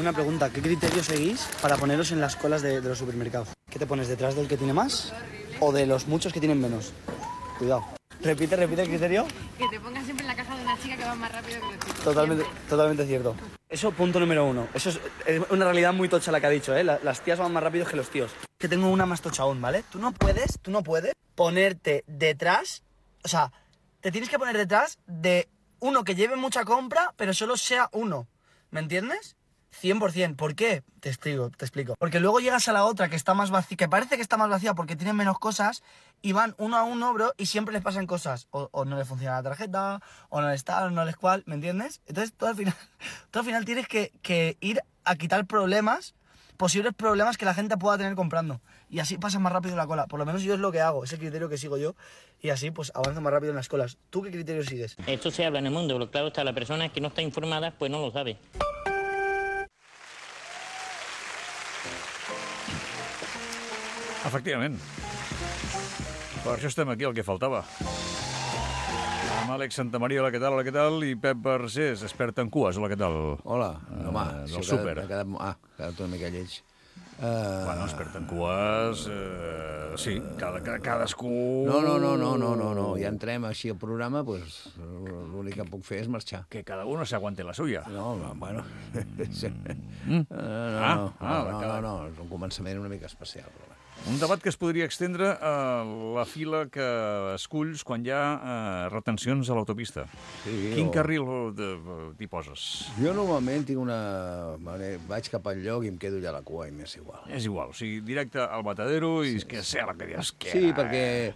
una pregunta. ¿Qué criterio seguís para poneros en las colas de los supermercados? ¿Qué te pones detrás del que tiene más o de los muchos que tienen menos? Cuidado. Repite el criterio. Que te pongas siempre en la caja de una chica que va más rápido que los chicos. Totalmente cierto. Eso, punto número 1. Eso es una realidad muy tocha la que ha dicho, ¿eh? Las tías van más rápido que los tíos. Que tengo una más tocha aún, ¿vale? Tú no puedes ponerte detrás, o sea, te tienes que poner detrás de uno que lleve mucha compra, pero solo sea uno. ¿Me entiendes? 100%. ¿Por qué? Te explico. Porque luego llegas a la otra que está más vacía, que parece que está más vacía porque tiene menos cosas, y van uno a uno, bro, y siempre les pasan cosas. O no les funciona la tarjeta, o no les tal, o no les cual, ¿me entiendes? Entonces tú al final tienes que ir a quitar posibles problemas que la gente pueda tener comprando. Y así pasa más rápido la cola. Por lo menos yo es lo que hago, es el criterio que sigo yo. Y así pues avanzo más rápido en las colas. ¿Tú qué criterio sigues? Esto se habla en el mundo, pero claro está, la persona que no está informada pues no lo sabe. Efectivament. Per això estem aquí, el que faltava. Amb Àlex Santamaria, hola, què tal? I Pep Barcés, expert en cues, hola, què tal? Hola, home, del súper. Ha quedat una mica lleig. Bueno, expert en cues, sí, cadascú... No, ja entrem així al programa, pues l'únic que puc fer és marxar. Que cada uno se aguante la suya. No, bueno... No, és un començament una mica especial, però bé. Un debat que es podria extendre a la fila que esculls quan hi ha retencions a l'autopista. Sí, Quin carril t'hi poses? Jo normalment tinc vaig cap al lloc i em quedo allà a la cua i m'és igual. És igual, o sigui, directe al matadero i que sea la que dius que... Sí, perquè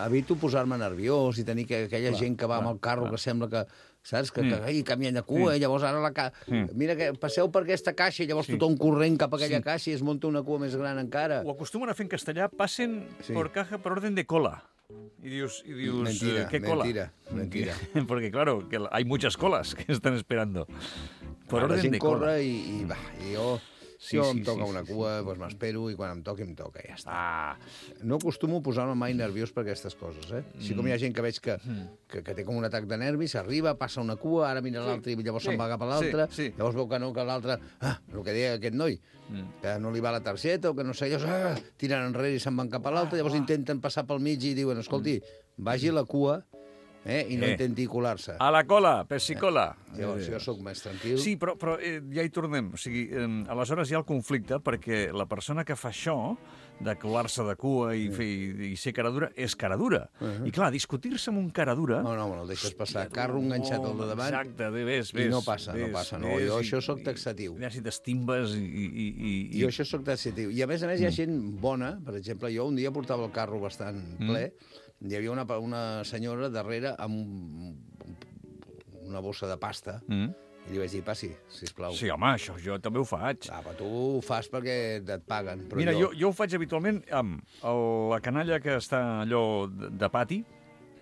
evito posar-me nerviós i tenir aquella gent que va amb el carro que sembla que... Saps? Que canvien de cua, i llavors ara mira que passeu per aquesta caixa i llavors tothom corrent cap a aquella caixa i es munta una cua més gran encara. Ho acostumen a fer en castellà, passen por caja per orden de cola. Y dios, ¿qué cola? Mentira. Porque claro, que hay muchas colas que están esperando. Por orden de cola. I jo... Si em toca una cua, doncs m'espero, i quan em toca, ja està. No acostumo a posar-me mai nerviós per aquestes coses, eh? Així com hi ha gent que veig que té com un atac de nervis, arriba, passa una cua, ara mira l'altre i llavors se'n va cap a l'altre, llavors veu que no, que l'altre... el que deia aquest noi, que no li va la targeta o que no sé, llavors tiren enrere i se'n van cap a l'altre, llavors intenten passar pel mig i diuen, escolti, vagi a la cua, i no intenti colar-se. A la cola, pessicola. Jo sóc més tranquil. Sí, però ja hi tornem. O sigui, aleshores hi ha el conflicte perquè la persona que fa això, de colar-se de cua i ser cara dura, és cara dura. I clar, discutir-se amb un cara dura... No, el deixes passar. Carro enganxat al de davant. Exacte, ves. I no passa. Jo això sóc taxatiu. Ja si t'estimbes i... Jo això sóc taxatiu. I a més hi ha gent bona. Per exemple, jo un dia portava el carro bastant ple. Hi havia una senyora darrere amb una bossa de pasta i li vaig dir, passi, sisplau. Sí, home, això jo també ho faig. Però tu ho fas perquè et paguen. Però mira, jo ho faig habitualment amb la canalla que està allò de pati,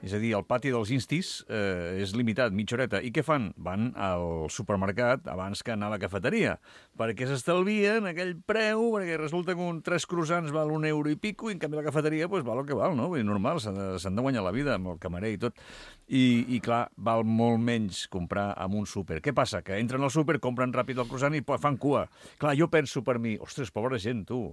és a dir, el pati dels instis és limitat, mitja horeta. I què fan? Van al supermercat abans que anar a la cafeteria, perquè s'estalvien aquell preu, perquè resulta que 3 croissants val €1 i pico, i en canvi la cafeteria val el que val, no? Vull dir, normal, s'han de guanyar la vida amb el camarer i tot. I clar, val molt menys comprar en un súper. Què passa? Que entren al súper, compren ràpid el croissant i fan cua. Clar, jo penso per mi, ostres, pobra gent, tu,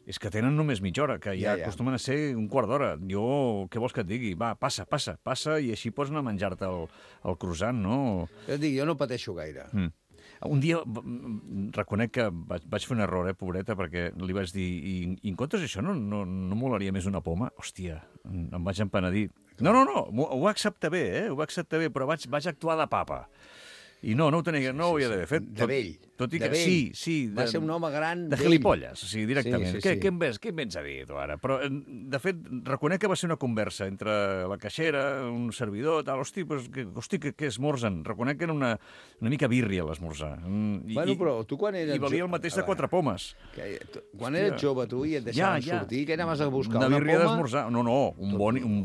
és que tenen només mitja hora, que ja acostumen a ser un quart d'hora. Jo, què vols que et digui? Va, passa, i així pots anar a menjar-te el croissant, no? Jo et dic, jo no pateixo gaire. Un dia reconec que vaig fer un error, pobreta, perquè li vaig dir, i en comptes d'això no molaria més una poma? Hòstia, em vaig empenedir. No, ho va acceptar bé, però vaig actuar de papa. I no ho havia d'haver fet. De vell. Tot i que sí. Va ser un home gran... De gilipolles, o sigui, directament. Sí. Què em vens a dir, tu, ara? Però, de fet, reconec que va ser una conversa entre la caixera, un servidor, tal, hosti, què esmorzen? Reconec que era una mica bírria l'esmorzar. Bueno, però tu quan eres... I valia el mateix de 4 pomes. Quan eres jove, tu, i et deixaven sortir, què anaves a buscar? Una birria d'esmorzar? No, un boni, un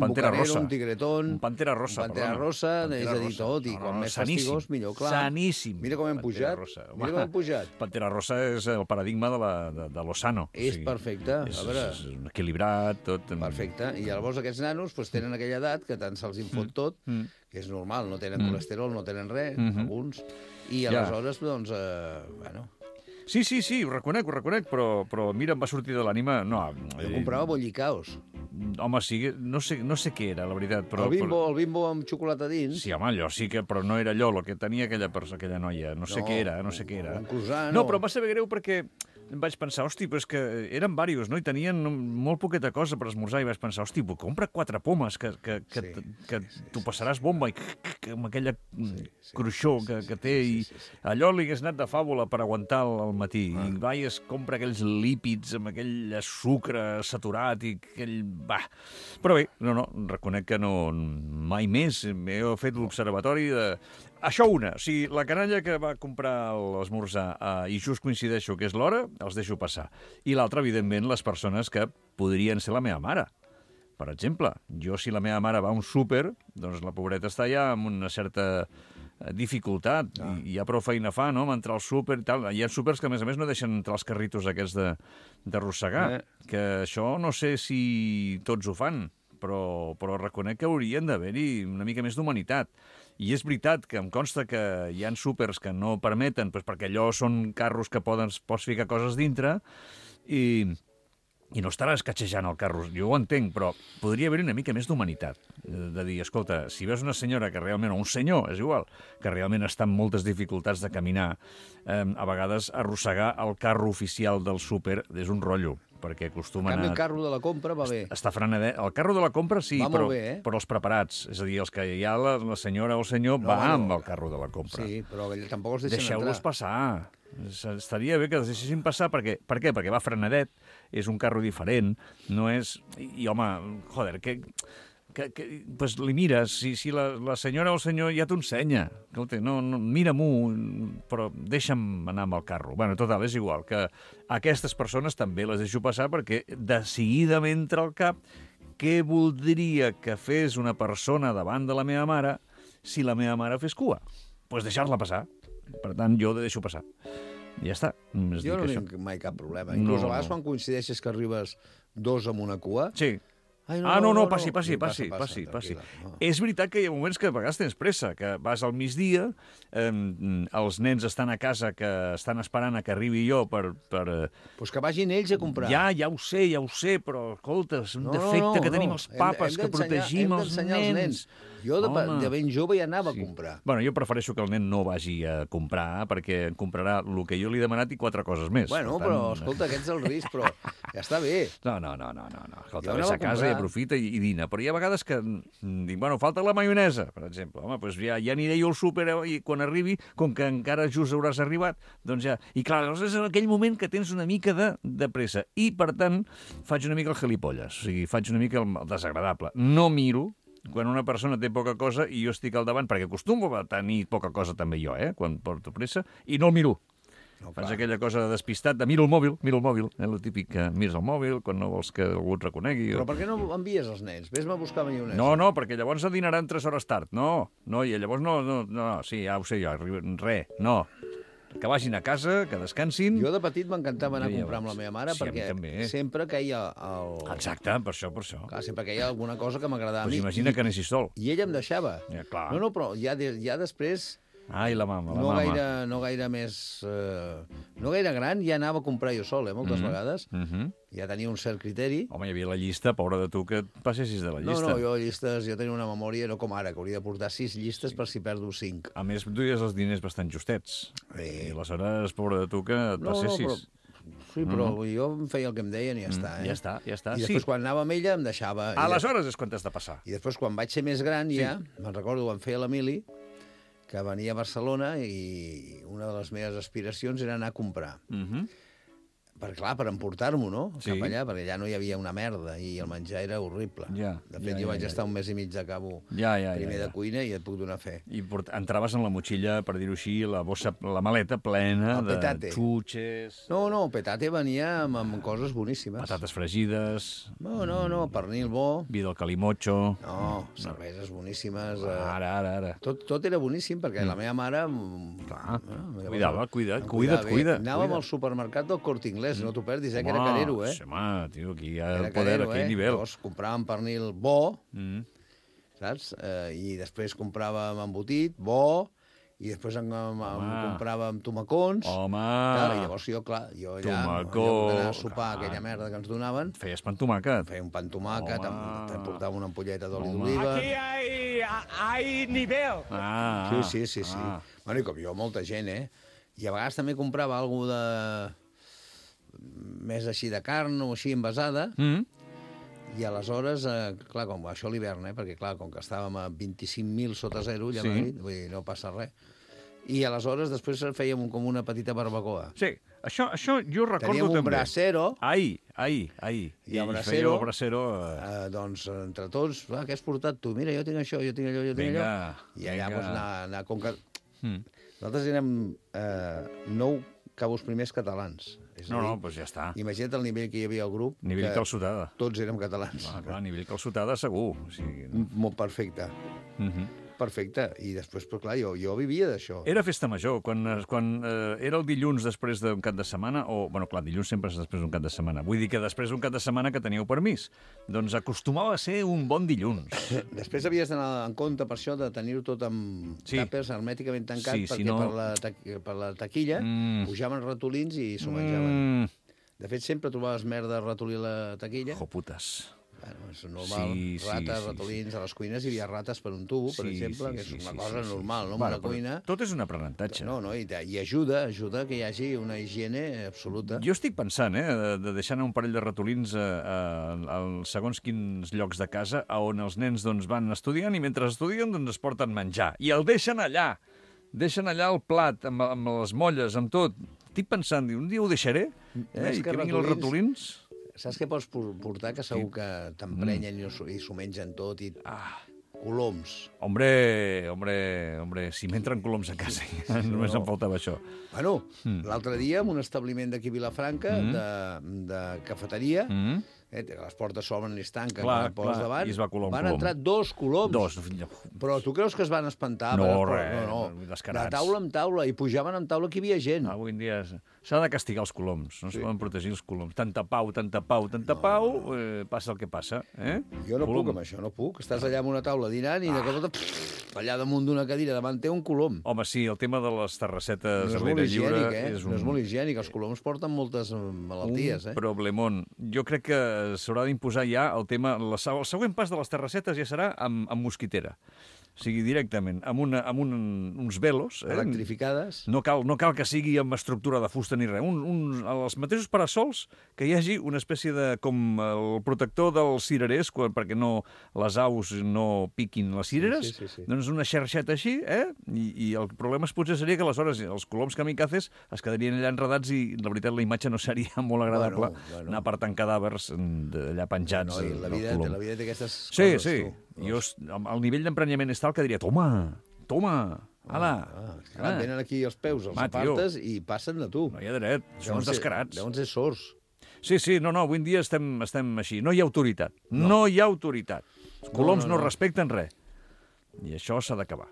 pantera rossa. Un tigretón... Un pantera rossa, és a dir, tot, i quan més amigos, millor, clar. Saníssim. Mira com hem pujat. Mira com hem pujat. Pantera Rosa és el paradigma de lo sano. És perfecte. És, A veure... és equilibrat, tot. Perfecte. I llavors aquests nanos tenen aquella edat que tant se'ls infot tot, que és normal, no tenen colesterol, no tenen res, alguns. I aleshores, doncs, bueno... Sí, ho reconec, però mira, em va sortir de l'ànima... No, jo comprava bollicaos. Home, sí, no sé què era, la veritat, però... El bimbo amb xocolata dins. Sí, home, allò sí que... Però no era allò, el que tenia aquella noia. No sé què era. Un croissant, no, però em va saber greu perquè em vaig pensar, hosti, però és que eren diversos, no? I tenien molt poqueta cosa per esmorzar, i vaig pensar, hosti, compra 4 pomes, que tu passaràs bomba, i amb aquella cruixó que té, i allò li hagués anat de fàbula per aguantar al matí. I va i es compra aquells lípids amb aquell sucre saturat i aquell... Va. Però bé, no, reconec que no, mai més he fet l'observatori de... Això una, o sigui, la canalla que va comprar l'esmorzar i just coincideixo que és l'hora, els deixo passar. I l'altra, evidentment, les persones que podrien ser la meva mare. Per exemple, jo si la meva mare va a un súper, doncs la pobreta està ja amb una certa dificultat i ja prou feina fa, no?, entrar al súper i tal. Hi ha súpers que, a més, no deixen entrar els carritos aquests d'arrossegar, que això no sé si tots ho fan, però reconec que haurien d'haver-hi una mica més d'humanitat. I és veritat que em consta que hi ha súpers que no permeten, perquè allò són carros que pots ficar coses dintre, i no estaràs catxejant el carro. Jo ho entenc, però podria haver-hi una mica més d'humanitat. De dir, escolta, si veus una senyora que realment, o un senyor, és igual, que realment està amb moltes dificultats de caminar, a vegades arrossegar el carro oficial del súper és un rotllo, perquè acostumen En canvi, el carro de la compra va bé. Està frenadet. El carro de la compra sí, però els preparats. És a dir, els que ja la senyora o el senyor va amb el carro de la compra. Sí, però tampoc els deixen Deixeu-los passar. Estaria bé que els deixessin passar. Per què? Perquè va frenadet, és un carro diferent, no és... I, home, joder, pues li mires, si la senyora o el senyor ja t'ho ensenya. Escolta, no, mira-m'ho, però deixa'm anar amb el carro. Bueno, total, és igual, que aquestes persones també les deixo passar perquè de seguida m'entra al cap què voldria que fes una persona davant de la meva mare si la meva mare fes cua. Pues deixar-la passar. Per tant, jo deixo passar. Ja està. Jo no tinc mai cap problema. Inclús a vegades quan coincideixes que arribes 2 amb una cua... Sí. No, passi. És veritat que hi ha moments que a vegades tens pressa, que vas al migdia, els nens estan a casa, que estan esperant a que arribi jo per... Pues que vagin ells a comprar. Ja ho sé, però, escolta, és un defecte que tenim els papes, que protegim els nens. Jo de ben jove ja anava a comprar. Bueno, jo prefereixo que el nen no vagi a comprar, perquè em comprarà el que jo li he demanat i 4 coses més. Bueno, però, escolta, aquest és el risc, però ja està bé. No. Escolta, vés a casa i aprofita i dina. Però hi ha vegades que dic, bueno, falta la maionesa, per exemple. Home, doncs ja aniré jo al súper i quan arribi, com que encara just hauràs arribat, doncs ja... I clar, és en aquell moment que tens una mica de pressa. I, per tant, faig una mica el gilipolles. O sigui, faig una mica el desagradable. No miro quan una persona té poca cosa i jo estic al davant, perquè acostumo a tenir poca cosa també jo, quan porto pressa, i no el miro. Fas aquella cosa de despistat, de miro el mòbil, el típic que mires el mòbil quan no vols que algú et reconegui. Però per què no envies els nens? Ves-me a buscar maionesa. No, perquè llavors dinaran 3 hores tard. No, i llavors no, sí, ja ho sé jo, no. Que vagin a casa, que descansin... Jo de petit m'encantava anar a comprar amb la meva mare perquè sempre queia el... Exacte, per això. Clar, sempre queia alguna cosa que m'agradava a mi. Pues imagina que anessis sol. I ella em deixava. Ja, clar. No, però ja després... Ai, la mama. No gaire més... No gaire gran, ja anava a comprar jo sol, moltes vegades. Ja tenia un cert criteri. Home, hi havia la llista, pobra de tu, que et passessis de la llista. No, jo tenia una memòria, no com ara, que hauria de portar 6 llistes per si perdo 5. A més, duies els diners bastant justets. I aleshores, pobra de tu, que et passessis. Sí, però jo em feia el que em deien i ja està. Ja està. I després, quan anava amb ella, em deixava... Aleshores és quan t'has de passar. I després, quan vaig ser més gran, ja, me'n recordo, ho em feia l'Emili, que venia a Barcelona i una de les meves aspiracions era anar a comprar. clar, per emportar-m'ho, no? Sí. Cap allà, perquè allà no hi havia una merda i el menjar era horrible. Ja, De fet, jo vaig estar un mes i mig de cabo primer de cuina i et puc donar fe. I entraves en la motxilla, per dir-ho així, la maleta plena El de petate. xutxes, No, petate venia amb coses boníssimes. patates fregides, No, pernil bo. vi del calimocho... No, cerveses boníssimes. Ara. Tot era boníssim, perquè la meva mare... Clar, Llavors, cuida't. Anàvem al supermercat del Corte Inglés, no t'ho perdis, que era canero, Home, tio, aquí hi ha Era el poder, canero, aquí hi nivell. Llavors compràvem pernil bo, Mm. saps? I després compràvem embotit bo, i després compràvem tomacons. Home! Clar, i llavors jo allà, Tomacó, d'anar a sopar aquella merda que ens donaven, Feies pan tomàquet. feia un pan tomàquet, Home. em portava una ampolleta d'oli Home. d'oliva. hay nivel. Ah, Sí. Ah. Bueno, i com jo, molta gent, I a vegades també comprava alguna de... més així de carn o així envasada, i aleshores, clar, com això a l'hivern, perquè clar, com que estàvem a 25.000 sota zero, ja Sí. vull dir, no passa res. I aleshores després fèiem com una petita barbacoa. Sí, això jo recordo Teníem un també. brasero, Ai. I el fèieu el brasero, brasero... doncs, entre tots, què has portat tu? Mira, jo tinc això, jo tinc allò, jo tinc Vinga, allò. I allà, vinga. doncs, anar com que... Mm. Nosaltres érem 9 cabos primers catalans. És a No, dir, doncs ja està. imagina't el nivell que hi havia al grup. Nivell que calçotada. Tots érem catalans. Clar, nivell calçotada segur. O sigui, Molt perfecte. Perfecte. I després, però clar, jo vivia d'això. Era festa major, quan era el dilluns després d'un cap de setmana, o, bueno, clar, dilluns sempre és després d'un cap de setmana. Vull dir que després d'un cap de setmana que teníeu permís. Doncs acostumava a ser un bon dilluns. Després havies d'anar en compte per això de tenir-ho tot amb tàpers hermèticament tancat, Sí, perquè si no- per la taquilla pujaven ratolins i s'ho menjaven. De fet, sempre trobaves merda a ratolí a la taquilla. Joputes. Bueno, és normal. Sí, Rates, ratolins, a les cuines hi havia rates per un tubo, per exemple, que és una cosa normal, no? En una cuina... Tot és un aprenentatge. No, i ajuda que hi hagi una higiene absoluta. Jo estic pensant, de deixar anar un parell de ratolins a segons quins llocs de casa on els nens doncs, van estudiant i mentre estudien doncs, es porten menjar. I el deixen allà. Deixen allà el plat, amb les molles, amb tot. Estic pensant, un dia ho deixaré, i que vinguin els ratolins... Saps què pots portar? Que segur que t'emprenyen i s'ho mengen tot. Coloms. Hombre, si m'entren coloms a casa, només em faltava això. Bueno, l'altre dia, en un establiment d'aquí a Vilafranca, de cafeteria, les portes s'obren i es tanquen, Clar, poses davant, i es va colar un van colom. entrar 2 coloms. 2. Però tu creus que es van espantar? No, Per- res, no. descarats. De taula en taula, i pujaven en taula que hi havia gent. Avui en dia s'ha de castigar els coloms, no es poden protegir els coloms. Tanta pau, passa el que passa. Jo no puc amb això, no puc. Estàs allà amb una taula dinant i de cop allà damunt d'una cadira davant té un colom. Home, sí, el tema de les terrassetes No és a molt l'aire lliure higiènic, No és molt higiènic. Els coloms porten moltes malalties, un problemón. Jo crec que s'haurà d'imposar ja el tema... El següent pas de les terrassetes ja serà amb mosquitera. O sigui, directament, amb uns velos. Electrificades. No cal que sigui amb estructura de fusta ni res. Els mateixos parasols, que hi hagi una espècie de... com el protector dels cirerers, perquè les aus no piquin les cireres, Sí. doncs una xarxeta així, I el problema potser seria que aleshores els coloms kamikazes es quedarien allà enredats i la veritat la imatge no seria molt agradable anar apartant cadàvers d'allà penjats. No, la vida té aquestes Sí. coses, tu. El nivell d'emprenyament és tal que diria, toma, ala. Clar, venen aquí els peus, els apartes i passen de tu. No hi ha dret, són uns descarats. Deuen ser sords. Sí, no, avui en dia estem així. No hi ha autoritat. No hi ha autoritat. Els coloms no respecten res. I això s'ha d'acabar.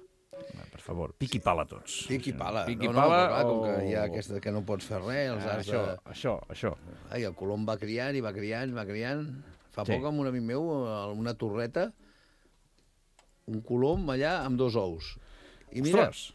Per favor, piqui pala tots. Piqui pala. Piqui Però pala clar, com que hi ha aquesta que no pots fer res, els has de... Això. Ai, el colom va criant i va criant. Fa poc amb un amic meu, a una torreta, un colom allà amb 2 ous. I mira, Ostres,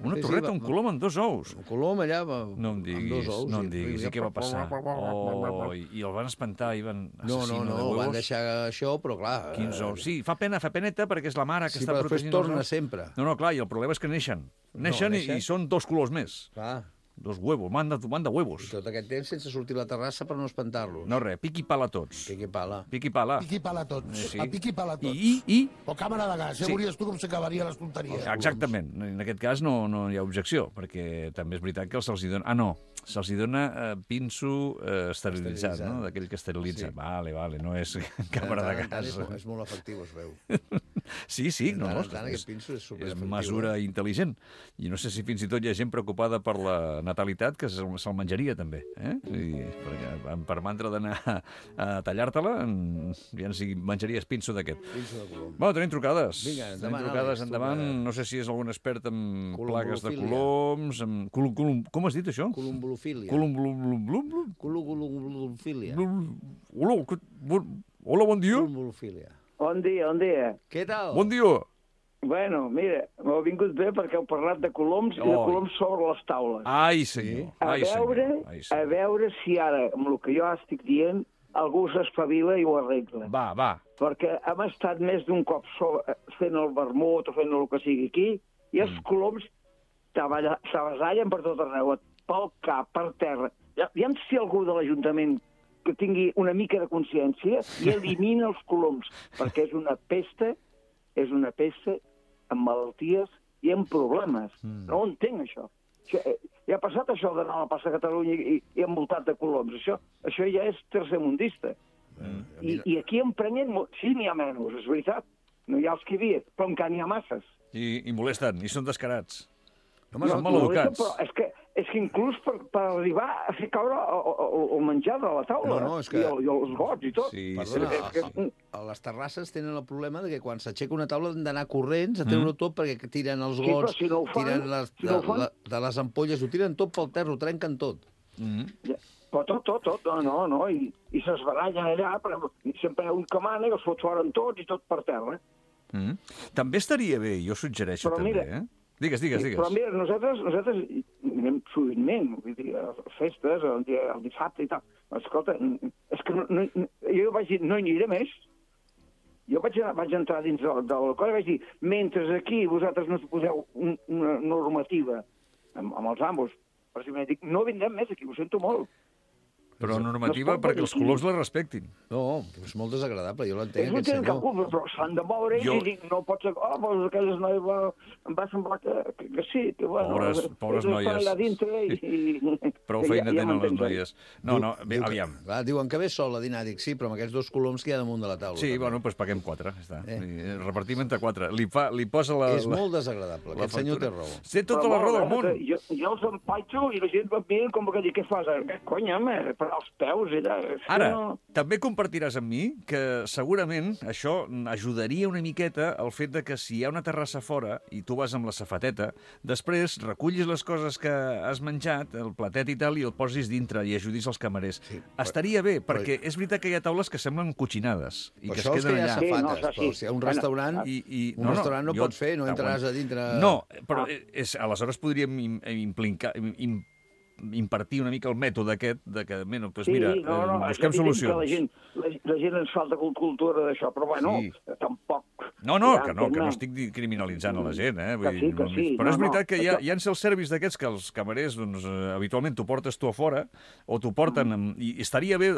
una torreta, un colom amb 2 ous. un colom allà No em amb 2 ous. diguis. I què va passar? I el van espantar i van No, assassino de huevos. van deixar això, però clar... 15 ous. Sí, fa peneta, perquè és la mare que Sí, està però després protegint els torna ous. sempre. No, clar, i el problema és que neixen. Neixen i són 2 colors més. Clar. 2 huevos, manda huevos. I tot aquest temps sense sortir a la terrassa per no espantar-los. No res, pic i pala tots. Piqui pala. Pic i pala. Piqui pala tots. Sí. A piqui pala tots. I? O càmera de gas. Ja veuries tu com s'acabarien les tonteries. Exactament. En aquest cas no hi ha objecció, perquè també és veritat que se'ls hi dona... se'ls hi dona pinso esterilitzat, no? D'aquell que esterilitza. Sí. Vale, no és càmera de gas. És molt efectiu, es veu. Sí, Aquest pinso és superefectiu. És mesura intel·ligent. I no sé si fins i tot hi ha gent preocupada per la natalitat que se'l menjaria, també. Perquè per mantra d'anar a tallar-te-la, ja si menjaries pinso d'aquest. Pinso de colom. Bueno, tenim trucades. Vinga, endavant, Tenim trucades, Àlex, endavant. No sé si és algun expert en plagues de coloms... Com has dit, això? Columbolofília. Columbolofília. Columbolofília. Hola, bon dia. Columbolofília. Bon dia. Què tal? Bon dia. Bueno, mira, m'heu vingut bé perquè heu parlat de coloms i de coloms sobre les taules. Ai, senyor. A veure si ara, amb el que jo estic dient, algú s'espavila i ho arregla. Va. Perquè hem estat més d'un cop fent el vermut o fent el que sigui aquí, i els coloms s'avasallen per tot arreu, pel cap, per terra. Aviam si algú de l'Ajuntament que tingui una mica de consciència i elimina els coloms, perquè és una pesta amb malalties i amb problemes. No ho entenc, això. Ja ha passat això d'anar a la plaça Catalunya i envoltat de coloms. Això ja és tercermundista. I aquí emprenyen... Sí, n'hi ha menys, és veritat. No hi ha els que hi havia, però encara n'hi ha masses. I molesten, i són descarats. Home, són maleducats. Però és que inclús per arribar a fer caure el menjar de la taula. No, és que... I els gots i tot. Sí, Perdona, a les terrasses tenen el problema de que quan s'aixeca una taula han d'anar corrents a treure-ho tot perquè tiren els gots, si no ho fan, tiren de les ampolles, ho tiren tot pel terra, ho trenquen tot. Però tot, no, i s'esbarallen allà, però sempre hi ha un que mana i els fot fora tots i tot per terra. També estaria bé, jo suggereixo però també, mira, Digues. Però mira, nosaltres anem sovintment, vull dir, a festes, el dissabte i tal. Escolta, és que jo vaig dir, no hi aniré més. Jo vaig entrar dins del cor i vaig dir, mentre aquí vosaltres no poseu una normativa amb els amos, per si dic, no vindrem més aquí, ho sento molt. Però normativa perquè els colors la respectin. No, és molt desagradable, jo l'entenc, aquest senyor. Cap culpa, però s'han de moure i dic, no pot ser... doncs aquelles noies em va semblar que sí, que bueno... Pobres noies. Allà dintre i... Prou feina tenen les noies. No, bé, aviam. Diuen que ve sol a dinar, dic sí, però amb aquests 2 coloms que hi ha damunt de la taula. Sí, bueno, doncs paguem 4, està. Repartim entre 4. Li posa la... És molt desagradable, aquest senyor té raó. Té tota la raó del món. Jo els empaitxo i la gent va mirant com que dic, què fas? Conya, als peus, allà... Ara, també compartiràs amb mi que segurament això ajudaria una miqueta al fet de que si hi ha una terrassa fora i tu vas amb la safateta, després recullis les coses que has menjat, el platet i tal, i el posis dintre i ajudis els camarers. Sí, estaria bé, perquè és veritat que hi ha taules que semblen cotxinades i que es queden allà. Safates, però si hi ha un restaurant, un restaurant no pots fer, no entraràs a dintre... No, però aleshores podríem impartir una mica el mètode aquest de que, doncs mira, busquem solucions. La gent ens falta cultura d'això, però bueno, tampoc... No, que no estic criminalitzant a la gent, Vull dir, però és veritat que hi ha self-service d'aquests que els camarers, doncs, habitualment t'ho portes tu a fora, o t'ho porten, i estaria bé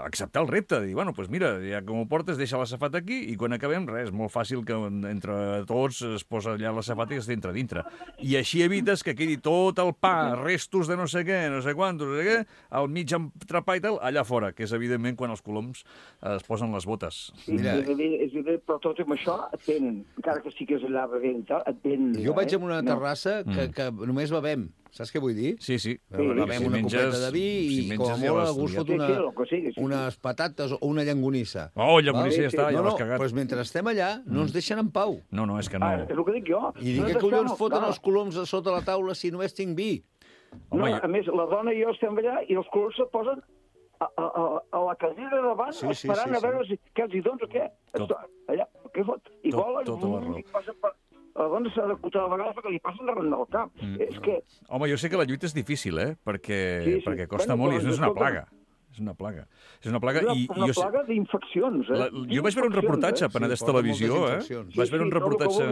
acceptar el repte, dir, bueno, doncs mira, ja que m'ho portes, deixa la safata aquí, i quan acabem, res, és molt fàcil que entre tots es posa allà la safata i es entra dintre. I així evites que quedi tot el pa, restos de no sé què, no sé quant, no sé què, al mig entrepà i tal, allà fora, que és evidentment quan els coloms es posen les botes. Mira. És evident, però tot amb això et venen, encara que sí que és allà bevent, et venen. Jo vaig a una terrassa que només bevem. Saps què vull dir? Sí. Bevem una copeta de vi i com a molt algú es fot unes patates o una llangonissa. Oh, llangonissa ja està, ja l'has cagat. Però mentre estem allà no ens deixen en pau. No, és que no. És el que dic jo. I dic, què collons foten els coloms a sota la taula si només tinc vi? A més, la dona i jo estem allà i els coloms se posen a la cadira davant esperant a veure què els hi dones o què. Allà, què fot? I volen... La dona s'ha d'acotar a vegades perquè li passen darrere del cap. És que... Home, jo sé que la lluita és difícil, perquè costa molt i és una plaga. És una plaga. És una plaga d'infeccions. Jo vaig veure un reportatge a Penedès Televisió, Vaig veure un reportatge...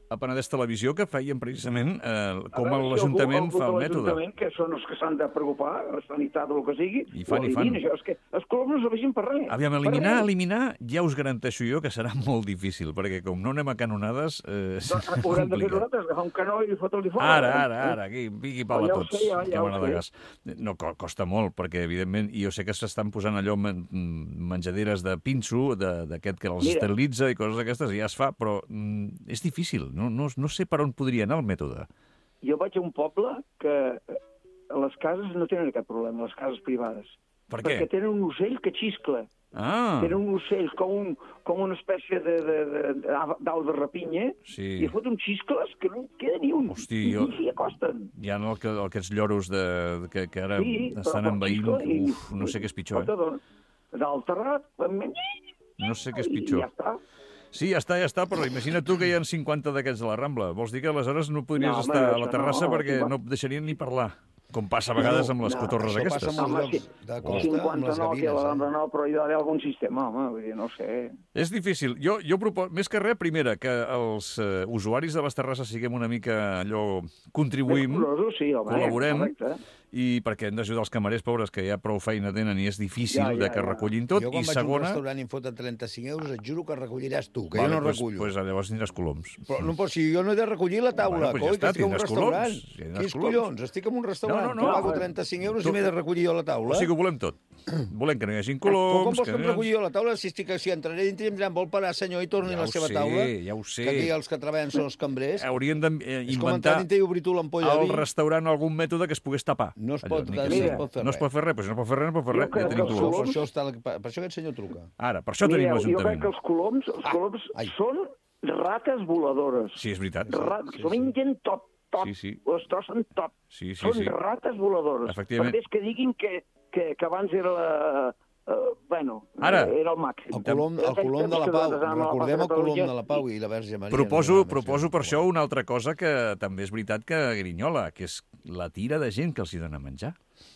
a Penedès Televisió que feien precisament com l'Ajuntament fa el mètode. L'Ajuntament, que són els que s'han de preocupar, la sanitat o el que sigui, I fan. Això, és que els coloms no serveixin per res. Aviam, eliminar, ja us garanteixo jo que serà molt difícil, perquè com no anem a canonades, serà Haurem de fer complicat. nosaltres, agafar un canó i fotre-li fora. Ara, aquí, piqui pal a Ja ho tots. sé, ja que ho m'agrada sé. gas. No, costa molt, perquè evidentment, i jo sé que s'estan posant allò menjaderes de pinso, d'aquest que els esterilitza i coses d'aquestes, i ja es fa, però és difícil, no sé per on podria anar el mètode. Jo vaig a un poble que les cases no tenen aquest problema, les cases privades. Per què? Perquè tenen un ocell que xiscla. Ah, Tenen un ocell com una espècie d'au de rapinya, Sí. i fot uns xiscles que no en queda ni un. Hosti, I jo- s'hi acosten. hi ha aquests lloros que ara Sí, estan però envaint. xiscla i- Uf, no sé què és pitjor, Dalt terrat, No sé què és i pitjor. ja està. Sí, ja està, però imagina't tu que hi ha 50 d'aquests a la Rambla. Vols dir que aleshores no podries No, home, estar a la això terrassa no, perquè no et deixarien ni parlar, com passa a vegades amb les cotorres això aquestes. passa amb els Home, llocs de costa, amb les 59 gavines. quilograms, no, però hi ha d'haver algun sistema, home, vull dir, no ho sé. És difícil. Jo proposo, més que res, primera, que els usuaris de les terrasses siguem una mica allò... Contribuïm, Curosos, sí, home, col·laborem, correcte. i perquè hem d'ajudar els camarers pobres, que ja prou feina tenen i és difícil de que recullin tot. Jo quan I vaig a un segona... restaurant i em foten 35 euros, et juro que recolliràs tu, que Vale, jo no pues, recullo. Pues llavors tindràs coloms. Però no, si jo no he de recollir la taula, Bueno, pues ja coi, està, que estic en un tindràs restaurant. coloms, tindràs Quins coloms. collons? Estic en un restaurant, No, que pago 35 euros i m'he de recollir jo la taula. O sigui que ho volem tot. Volem que no hi hagin Però com coloms... vols que em recolli jo la taula? Si entraré dintre i em diran, vol parar, senyor, i torni Ja la ho seva sé, taula? ja ho sé. Que aquí els que treballen són els cambrers. Haurien d'inventar És com entrar dintre i obrir tu l'ampolla de al vi. restaurant algun mètode que es pogués tapar. No es Allò, pot, ni no que es sigui. pot fer No es pot fer res, però si no pot fer res, no pot fer res. Jo crec Ja tenim que els coloms. Per això aquest senyor truca. Ara, per això tenim Mireu, jo crec l'Ajuntament. que els coloms ai. són rates voladores. Sí, és veritat. S'ho mengen tot. Sí, sí. Ho destrossen tot. Sí, Són sí. rates voladores. Efectivament. Per més que diguin que abans era la... bueno, Ara. era el màxim. El colom de la Pau. Recordem el colom de la Pau i la Verge Maria. Proposo per això una altra cosa que també és veritat que grinyola, que és la tira de gent que els hi dona menjar.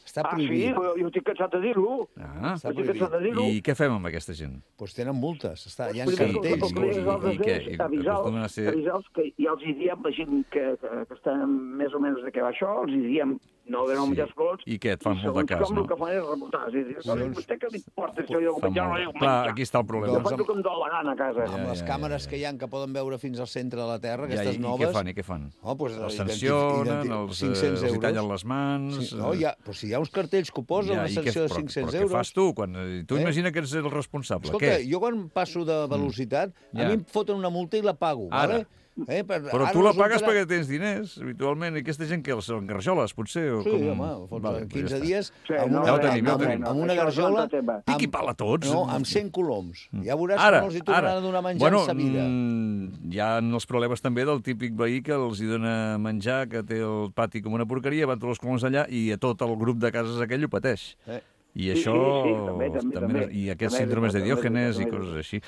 Està Sí, prohibit. jo estic cansat de dir-ho. Ah, Està Estic cansat de dir-ho. i què fem amb aquesta gent? Doncs tenen multes. Hi ha Primer, cartells. el primer és el i què? desig, I acostumen a ser- avisar-los que ja els hi diem, la gent que està més o menys de què va això, els hi diem no de no menjar escolts. I què, et fan molt de cas, com no? el que fan és reportar. És a dir, vostè què li importa això? Jo Fa menjar, no molt. dic Clar, menjar. aquí està el problema. Jo faig el que em dóna la gana a casa. Amb les càmeres que hi ha que poden veure fins al centre de la Terra, Ja, aquestes i noves... què fan? Oh, doncs, Els sancionen, els 500 hi euros. tallen les mans... Sí, no, però si hi ha uns cartells que ho posen, una i què- sanció de però 500 què euros... fas tu? Tu imagina que ets el responsable. Escolta, Què? jo quan passo de velocitat, Ja. a mi em foten una multa i la pago, Ara. vale? Però tu la pagues perquè tens diners, habitualment, i aquesta gent que els són garjoles, potser? O Sí, com... home, fots Vale, 15 ja està. dies Sí, amb no, una, ja ho tenim, ja ho amb- tenim. amb una Això és un garjola... altre tema. Piqui pal a tots. No, amb 100 coloms. Ja veuràs Ara, que no els hi tornaran a donar menjar bueno, en sa vida. hi ha els problemes també del típic veí que els hi dona menjar, que té el pati com una porqueria, van tots els coloms allà i a tot el grup de cases aquell ho pateix. I Sí, això... sí, també. I aquests També, síndromes de també, Diògenes i també. coses així.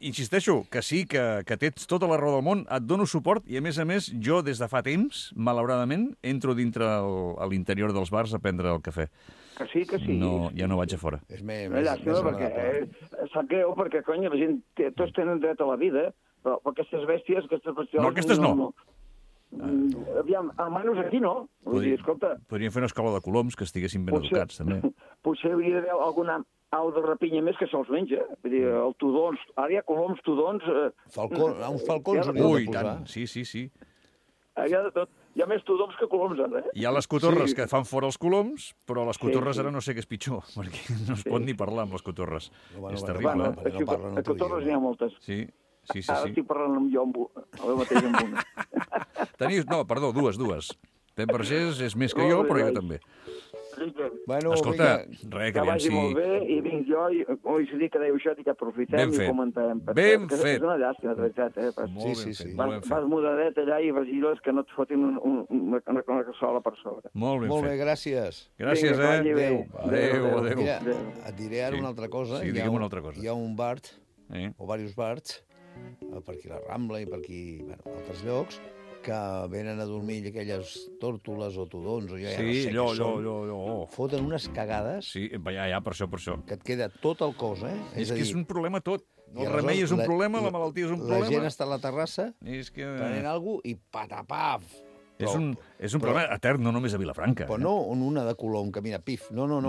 Insisteixo que sí, que tens tota la raó del món, et dono suport i, a més, jo, des de fa temps, malauradament, entro dintre a l'interior dels bars a prendre el cafè. Que sí, que sí. No, ja no vaig a fora. És més Una llàstima, perquè sap greu, perquè, cony, la gent, tots tenen dret a la vida, però aquestes bèsties, aquestes bestioles... No, aquestes no. Aviam, almenys aquí no. Vull dir, escolta, Podríem fer una escola de coloms que estiguessin ben educats, també. potser hauria d'haver alguna au de rapinya més que se'ls menja. Vull dir, el tudons, ara hi ha coloms, tudons... Uns falcons hauríem Ui, de posar. tant, sí. Hi ha de tot. Hi ha més tudons que coloms, ara, eh? Hi ha les cotorres Sí. que fan fora els coloms, però les cotorres sí. ara no sé què és pitjor, perquè no es pot ni parlar amb les cotorres. Bueno, És bueno, terrible. perquè no parlen el a teu cotorres idioma. n'hi ha moltes. Sí. Ara estic parlant amb jo, ara mateix amb una. No, perdó, dues. Pep Vergés és més que jo, però jo també. Bueno, Escolta, vinga, res, Que que aviam vagi molt bé, i vinc jo, i coincidir que dèieu això, i que aprofitem Ben fet. i comentem. Ben Que fet. És una llàstima, de veritat, eh? Molt ben sí. fet, molt ben Vas fet. mudadet allà i vigiles que no et fotin una cassola per sobre. Molt ben molt bé, fet. gràcies. Gràcies, Vinga, que vagi bé. Adéu. Mira, et diré ara Sí. una altra cosa. Sí, digue'm una altra cosa. Hi ha un bar, Eh? o diversos bars, per aquí la Rambla i per aquí, bueno, altres llocs, que venen a dormir aquelles tòrtoles o tudons, o jo ja no Sí, sé allò, què són, allò. foten unes cagades Sí, ja, per això. que et queda tot el cos, eh? És que és un problema tot. i El aleshores remei és un problema, la malaltia és un problema. La gent està a la terrassa És que... prenent alguna cosa i patapaf. És un problema etern, no només a Vilafranca. Però no una de Colom que mira, pif. No. No.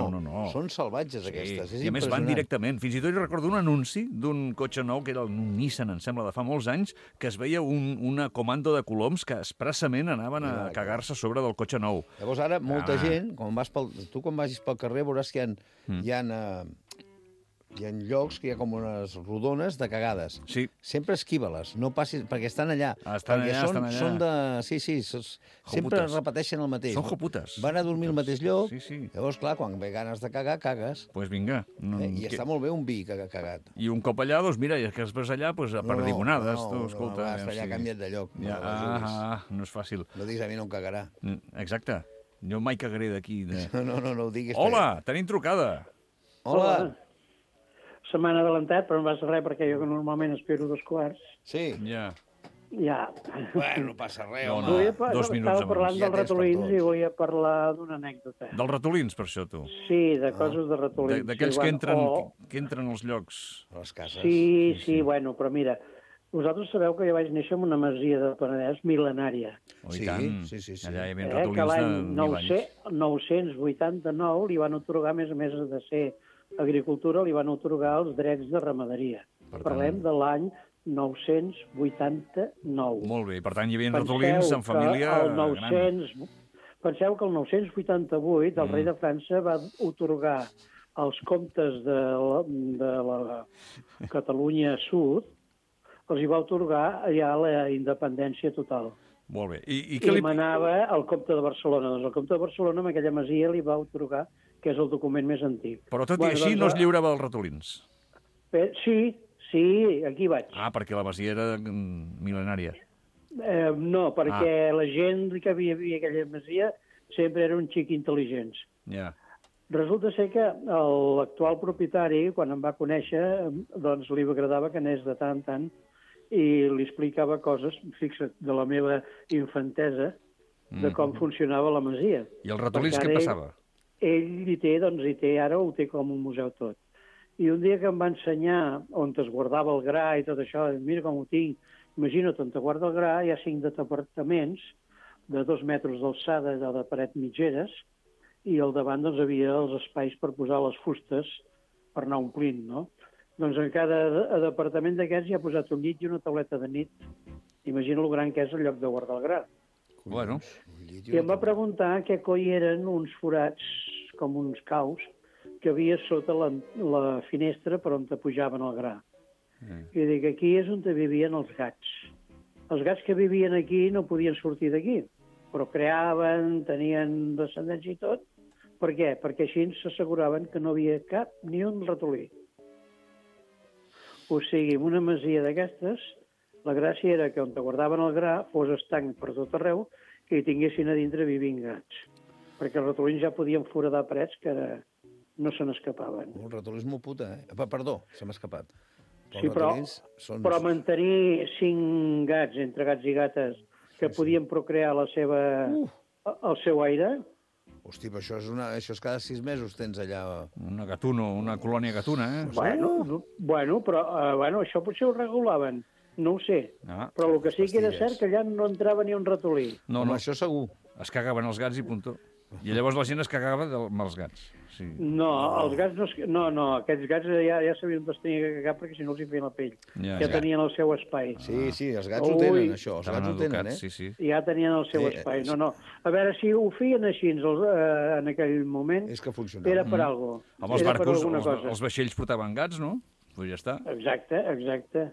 Són salvatges, aquestes. És I a més van impressionant. directament. Fins i tot jo recordo un anunci d'un cotxe nou, que era un Nissan, em sembla, de fa molts anys, que es veia una comando de coloms que expressament anaven a cagar-se a sobre del cotxe nou. Llavors ara molta gent, tu quan vagis pel carrer veuràs que hi ha llocs que hi ha com unes rodones de cagades. Sí. Sempre esquiva-les, no passis, perquè estan allà. Estan allà. Són de... Sí, sempre repeteixen el mateix. Són joputes. Van a dormir al mateix lloc, Sí. Llavors, clar, quan ve ganes de cagar, cagues. Doncs pues vinga. I està molt bé un vi que ha cagat. I un cop allà, doncs mira, i que després allà, pues, a perdigonades. Escolta, no, allà canvia't de lloc. Ja, no és fàcil. No diguis a mi no em cagarà. Exacte. Jo mai cagaré d'aquí. No ho diguis. Hola, tenim trucada. Hola. Se m'han adelantat, però no passa res, perquè jo que normalment espero 2:15. Sí. Ja. Bueno, no passa res, No, home. no. 2 minuts Estava parlant Ja dels tens per ratolins tots. i volia parlar d'una anècdota. Dels ratolins, per això, tu. Sí, de coses de ratolins. D'aquells sí, que entren als llocs. A les cases. Sí, bueno, però mira, vosaltres sabeu que jo vaig néixer en una masia de Penedès mil·lenària. Oh, i tant. Sí. Allà hi havia Que ratolins l'any de 1000 anys. 989 li van otorgar, a més de ser agricultura, li van otorgar els drets de ramaderia. Per tant- Parlem de l'any 989. Molt bé, per tant, hi havia ratolins en família gran. Penseu que el 988 el rei de França va otorgar als comtes de la Catalunya Sud, els hi va otorgar ja la independència total. Molt bé. I I què li... manava el comte de Barcelona. Doncs el comte de Barcelona, amb aquella masia, li va otorgar, que és el document més antic. Però tot i així no es lliurava dels ratolins. Sí, aquí vaig. Ah, perquè la masia era mil·lenària. No, perquè la gent que havia a aquella masia sempre era un xic intel·ligents. Ja. Resulta ser que l'actual propietari, quan em va conèixer, doncs li agradava que anés de tant en tant i li explicava coses, fixa't, de la meva infantesa, de com funcionava la masia. I els ratolins què passava? Ell ara ho té com un museu tot. I un dia que em va ensenyar on es guardava el gra i tot això, mira com ho tinc, imagina't on te guarda el gra, hi ha 5 departaments de 2 metres d'alçada de paret mitgeres i al davant doncs, havia els espais per posar les fustes per anar omplint, no? Doncs en cada departament d'aquests hi ha posat un llit i una tauleta de nit. Imagina el gran que és el lloc de guardar el gra. Bueno. I em va preguntar què coi eren uns forats, com uns caus, que havia sota la finestra per on te pujaven el gra. I dic, aquí és on vivien els gats. Els gats que vivien aquí no podien sortir d'aquí, però creaven, tenien descendència i tot. Per què? Perquè així s'asseguraven que no havia cap ni un ratolí. O sigui, en una masia d'aquestes, la gràcia era que on te guardaven el gra fos estanc per tot arreu que hi tinguessin a dintre vivint gats. Perquè els ratolins ja podien foradar parets que no se n'escapaven. El ratolí és molt puta, eh? Perdó, se m'ha escapat. Sí, però mantenir 5 gats, entre gats i gates, que podien procrear el seu aire... Hosti, però això és cada 6 mesos tens allà... Una colònia gatuna, eh? Bueno, però això potser ho regulaven, no ho sé. Però el que sí que era cert que allà no entrava ni un ratolí. No, això segur. Es cagaven els gats i puntó. I llavors la gent es cagava amb els gats. Sí. No, els gats no... No, aquests gats ja sabien on es tenia que cagar perquè si no els hi feien la pell. Ja tenien el seu espai. Sí, els gats ho tenen, això. Els gats ho tenen, eh? Ja tenien el seu espai. No. A veure, si ho feien així en aquell moment... És que funcionava. Era per alguna cosa. Amb els barcos, els vaixells portaven gats, no? Pues ja està. Exacte.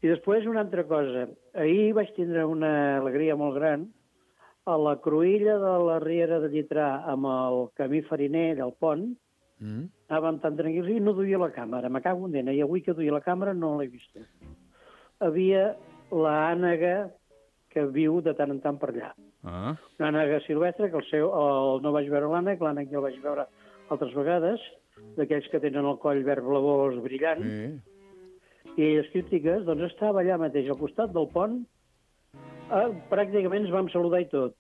I després una altra cosa. Ahir vaig tindre una alegria molt gran. A la cruïlla de la Riera de Llitrà amb el camí fariner del pont, anàvem tan tranquils i no duia la càmera. Me cago en dena. I avui que duia la càmera no l'he vista. Havia l'ànega que viu de tant en tant per allà. Una ànega silvestre, que no vaig veure l'ànec ja el vaig veure altres vegades, d'aquells que tenen el coll verd blavós brillant. I elles crítiques, doncs estava allà mateix, al costat del pont, Pràcticament ens vam saludar i tot.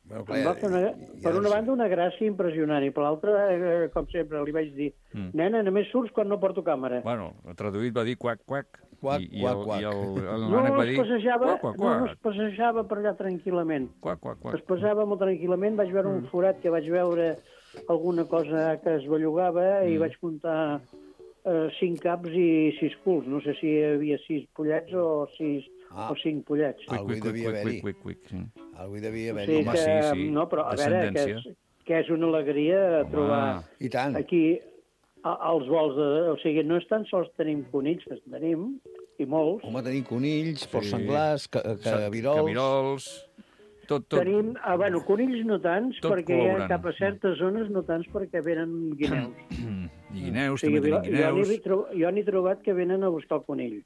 Bueno, Em va fer per una banda una gràcia impressionant i per l'altra, com sempre, li vaig dir nena, només surts quan no porto càmera. Bueno, traduït va dir quac, quac. Quac, I quac, quac. No es passejava per allà tranquil·lament. Quac, quac, quac. Es passava molt tranquil·lament, vaig veure un forat que vaig veure alguna cosa que es bellugava i vaig comptar 5 caps i 6 culs. No sé si hi havia 6 pollets o 5 pollets. Algú hi devia haver-hi. Sí. Algú hi devia O haver-hi. sigui que, no, però a veure, que és una alegria trobar I tant. aquí els vols de... O sigui, no és tan sols tenim conills, que en tenim, i molts. Home, tenim conills, porcs senglars, cabirols... Cabirols... Tot. Tenim, bueno, conills no tants, Tot perquè hi ha col·laborant. cap a certes zones no tants perquè venen guineus. I guineus, O sigui, també tenim guineus. jo n'he trobat que venen a buscar el conill.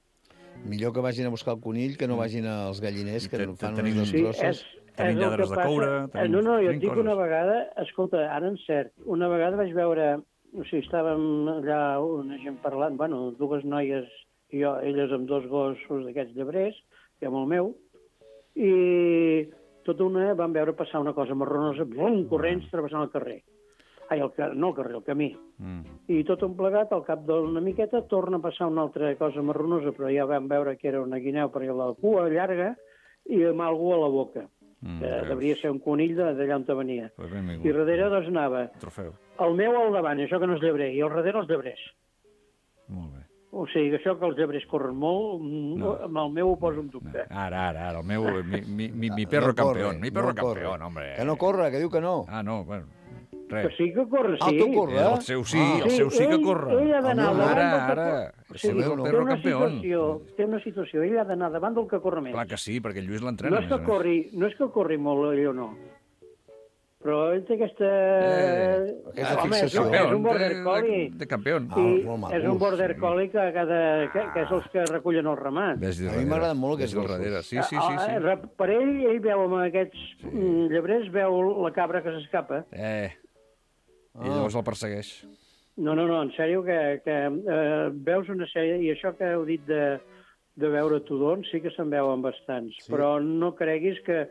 Millor que vagin a buscar el conill que no vagin als galliners, que fan tenim- unes Sí, destrosses. Tenim el lladres que de coure, tenim- No, jo et tenim dic coses. una vegada, escolta, ara en cert, una vegada vaig veure, o sigui, estàvem allà una gent parlant, bueno, dues noies i jo, elles amb 2 gossos d'aquests llebrers, i amb el meu, i tota una vam veure passar una cosa marronosa, bum, corrents travessant el carrer. Ai, no el carrer, el camí. I tot un plegat, al cap d'una miqueta, torna a passar una altra cosa marronosa, però ja vam veure que era una guineu perquè la cua llarga i amb algú a la boca. Devia ser un conill d'allà on venia. Pues benvingut. I darrere doncs anava Trofeu. el meu al davant, això que no és llebrer, i al darrere els llebrers. Molt bé. O sigui, això que els llebrers corren molt, amb el meu ho poso en dubte. Ara, el meu... Mi perro No corre, campeón. Mi perro no corre. campeón, hombre. Que no corre, que diu que no. Ah, no, bueno, Que res. sí que corre, sí. Ah, tu corre? El seu sí, el seu sí que corre. Ell ha d'anar Home, davant del que ara. corre. El meu no. perro campeón. Té una situació, ell ha d'anar davant del que corre més. Clar que sí, perquè el Lluís No l'entrena. és que corri molt, ell o no. Però ell té aquesta... Aquesta Home, fixació. és un border collie. De campeón. I molt maco, és un border collie que és els que recullen el ramat. Ves A mi m'agraden molt aquests gossos. gossos. Sí, sí, sí. Per ell veu amb aquests llebrers, veu la cabra que s'escapa. I llavors el persegueix. No, en sèrio, que veus una sèrie... I això que heu dit de veure tudons, sí que se'n veuen bastants. Sí. Però no creguis que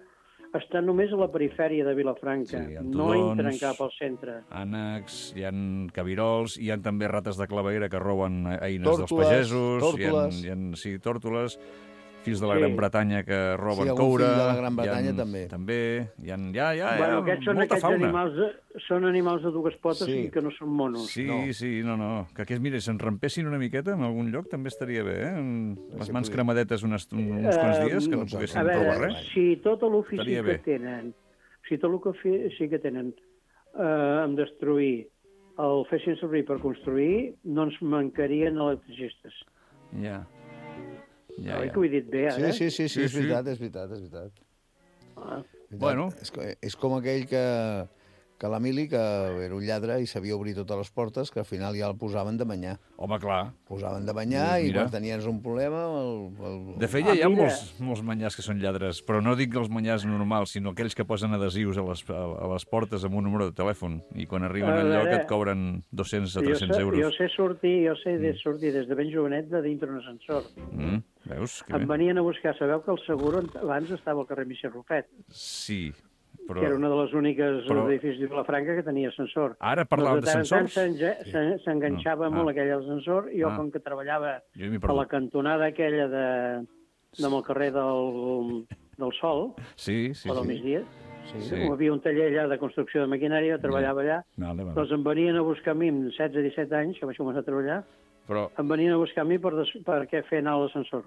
estan només a la perifèria de Vilafranca. Sí, hi ha no tudons, entren cap al centre. Ànecs, hi ha cabirols, hi ha també rates de claveguera que roben eines dels Tórtoles, pagesos, tórtoles. sí, tòrtoles, fills de la Gran Bretanya que roben Sí, algun coure. fill de la Gran Bretanya també. També, hi ha Bueno, aquests són molta aquests fauna. animals de dues potes Sí. i que no són monos. Sí, no. Que aquests, mira, se'n rampessin una miqueta en algun lloc també estaria bé, eh? Les mans cremadetes uns quants dies, que no poguessin A trobar veure, res. si tot l'ofici Estaria que bé. tenen, si tot el que sí que tenen en destruir el fessin servir per construir, no ens mancarien electricistes. Ja. Oi que ho he dit bé, ara? Sí, és Sí. veritat, és veritat. Ah. Bueno. És com aquell que l'Emili, que era un lladre i sabia obrir totes les portes, que al final ja el posaven de banyar. Home, clar. Posaven de banyar i Mira. quan tenies un problema... De fet, ja hi ha mira. molts manyars que són lladres, però no dic els manyars normals, sinó aquells que posen adhesius a les portes amb un número de telèfon i quan arriben al lloc et cobren 200 a 300 euros. Jo sé sortir des de ben jovenet de dintre un ascensor. Veus? Que Em bé. venien a buscar, sabeu que el Seguro abans estava al carrer Misser Rufet, Sí, però... que era una de les úniques Però- edificis de Vilafranca que tenia ascensor. Ara parlàvem Doncs de tant en tant d'ascensors? s'enganxava molt aquell ascensor i jo, com que treballava Jo m'hi a perdut. la cantonada aquella amb el carrer del Sol, Sí. o del migdia, Sí. hi havia un taller allà de construcció de maquinària, jo treballava allà, Vale. doncs em venien a buscar a mi amb 16-17 anys, que vaig començar a treballar, Però, em venien a buscar a mi per què fer anar a l'ascensor.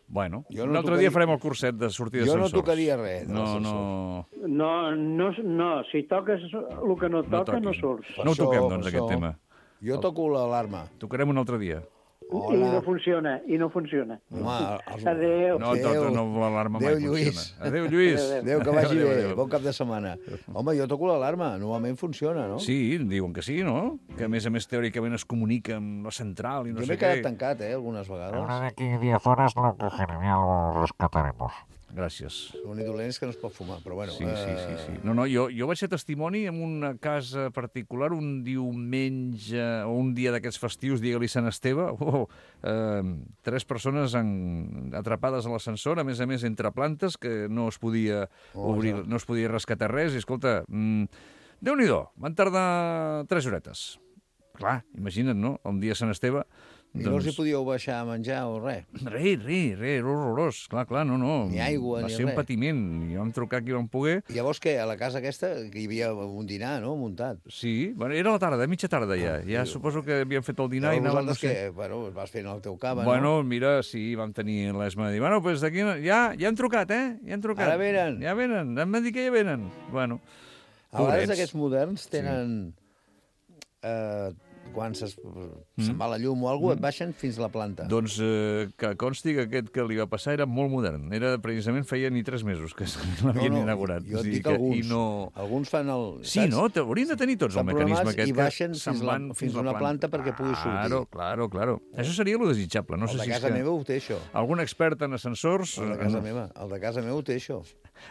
bueno, Jo un no altre dia farem el curset de sortir Jo no d'ascensors. tocaria res de No, No, si toques el que no toca, no toquis. surts. No ho Això, toquem, doncs, això. aquest tema. Jo toco l'alarma. Tocarem un altre dia. I no funciona. Home, Adéu. No, l'alarma mai Adéu, Lluís. funciona. Adéu, Lluís. Adéu, que vagi Adéu, bé. adéu. Bon cap de setmana. Home, jo toco l'alarma. Normalment funciona, no? Sí, diuen que sí, no? Que a més teòricament es comunica amb la central i no Jo sé m'he què. quedat tancat, algunes vegades. Ahora de aquí 10 horas lo cogeré, ya lo rescataremos. Gràcies. L'únic dolent és que no es pot fumar, però bueno... Sí. No, jo vaig ser testimoni en una casa particular un diumenge o un dia d'aquests festius, digue-li Sant Esteve. 3 persones atrapades a l'ascensor, a més entre plantes, que no es podia obrir, no es podia rescatar res. I escolta, Déu-n'hi-do, van tardar 3 horetes. Clar, imagina't, no? Un dia Sant Esteve... I no els hi podíeu baixar a menjar o res? Res, era horrorós. Clar, no. Ni aigua, ni res. Va ser un patiment. I vam trucar qui vam poder. I llavors què? A la casa aquesta que hi havia un dinar, no?, muntat. Sí, bueno, era la tarda, mitja tarda ja. Ja suposo que havíem fet el dinar i anàvem... Vosaltres què? Bueno, vas fent el teu cava, no? Mira, sí, vam tenir l'esma de dir, bueno, pues d'aquí... Ja han trucat, Ja han trucat. Ara venen. Ja venen, em van dir que ja venen. Bueno, a vegades aquests moderns tenen... quan se'n va la llum o alguna cosa, et baixen fins a la planta. Doncs que consti que aquest que li va passar era molt modern. Era, precisament, feia ni 3 mesos que l'havien inaugurat. Jo et dic alguns. Alguns fan el... Sí, no? Haurien de tenir tots el mecanisme aquest. I baixen fins a una planta perquè pugui sortir. Claro. Això seria lo desitjable. No sé si el de casa meva ho té, això. Algun expert en ascensors... El de casa meva ho té, això.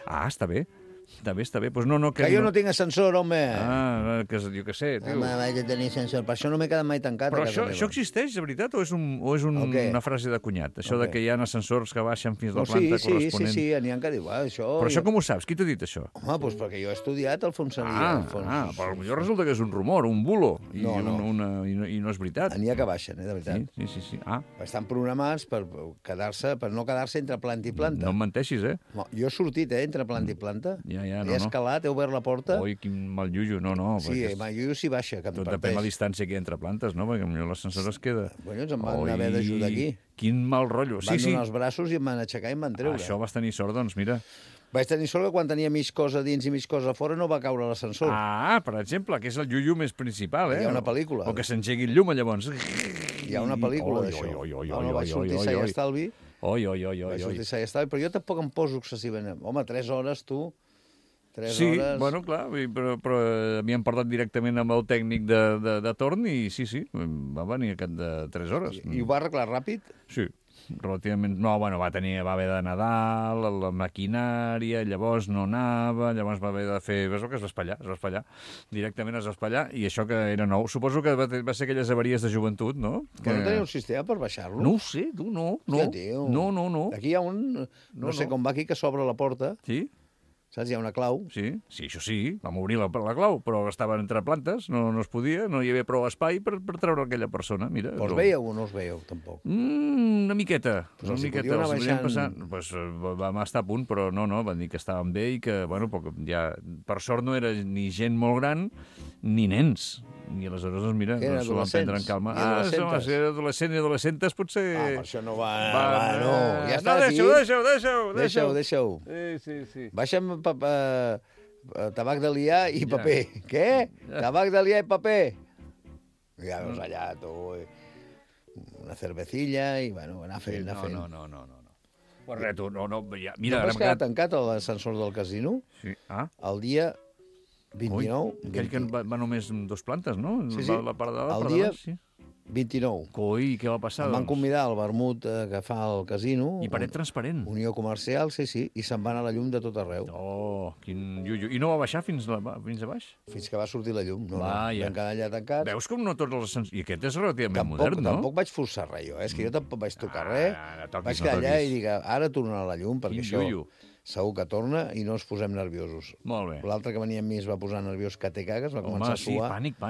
Ah, està bé. Està bé. Pues no, que jo no tinc ascensor, home! Que jo què sé, tio. Home, vaig a tenir ascensor. Per això no m'he quedat mai tancat Però a casa meva. Això existeix, de veritat, o és una frase de cunyat? Això de que hi ha ascensors que baixen fins a la planta corresponent? Sí, n'hi ha que diu, això... Però això com ho saps? Qui t'ha dit això? Home, doncs perquè jo he estudiat el fonsaria. Però potser resulta que és un rumor, un bulo, i no és veritat. N'hi ha que baixen, de veritat. Sí. Estan programats per no quedar-se entre planta i planta. No em menteixis, Jo he sortit, entre planta i planta. Ja, he escalat, he obert la porta... Oi, quin mal llullo, no. Sí, mal llullo s'hi baixa, que em parteix. Tot depèn de la distància que hi ha entre plantes, no? Perquè potser l'ascensor es queda... Bueno, em van haver d'ajudar aquí. Quin mal rotllo. Van donar els braços i em van aixecar i em van treure. Això vas tenir sort, doncs, mira. Vaig tenir sort que quan tenia mig cosa dins i mig cosa fora no va caure l'ascensor. Per exemple, que és el llullo més principal, Hi ha una pel·lícula. O que s'engegui el llum, llavors. Hi ha una pel·lícula d'això. No vaig sortir sa i estalvi. Vaig sortir sa i estalvi, però jo tampoc em poso excessivament. Home, 3 hores, tu... 3 hores... Sí, bueno, clar, però m'hi han portat directament amb el tècnic de torn i sí, va venir aquest de 3 hores. I ho va arreglar ràpid? Sí, relativament... No, bueno, va haver de Nadal, la maquinària, llavors no anava, llavors va haver de fer... Veus que es va espatllar. Directament es va espatllar, i això que era nou. Suposo que va ser aquelles avaries de joventut, no? Que no tenia un sistema per baixar-lo? No ho sé, tu, no. No. Aquí hi ha un... No sé com va aquí, que s'obre la porta. Sí? Saps? Hi ha una clau. Sí, això sí, vam obrir la clau, però estaven entre plantes, no es podia, no hi havia prou espai per treure aquella persona. Mira, però us veieu o no us veieu, tampoc? Una miqueta. Una miqueta. Vam estar a punt, però no, van dir que estàvem bé i que, bueno, ja, per sort no era ni gent molt gran ni nens. I aleshores, doncs, mira, s'ho van prendre en calma. Si era adolescent i adolescentes, potser... per això no va... No, ja està aquí. Deixa-ho. Sí. Baixa'm tabac de liar i paper. Què? Tabac de liar i paper? Ja veus allà, tu... Una cervecilla i, bueno, anar fent. No. Pues res, tu, no, ja... Mira, no vas quedar tancat a l'ascensor del casino? Sí. El dia 29... Aquell que va només amb 2 plantes, no? Sí. La part de dalt, el dia 29. Coi, què va passar? Em van convidar al vermut que fa el casino. I paret transparent. Unió comercial, sí, i se'n va anar la llum de tot arreu. Oh, quin llullo. I no va baixar fins a baix? Fins que va sortir la llum. Vam quedar allà tancats. Veus com no tots els ascensors... I aquest és relativament modern, no? Tampoc vaig forçar res, jo. És que jo tampoc vaig tocar res. Vaig quedar allà i dic, ara tornarà la llum, perquè això... Segur que torna i no ens posem nerviosos. Molt bé. L'altre que venia amb mi es va posar nerviós que té cagues, va començar a suar. Pànic.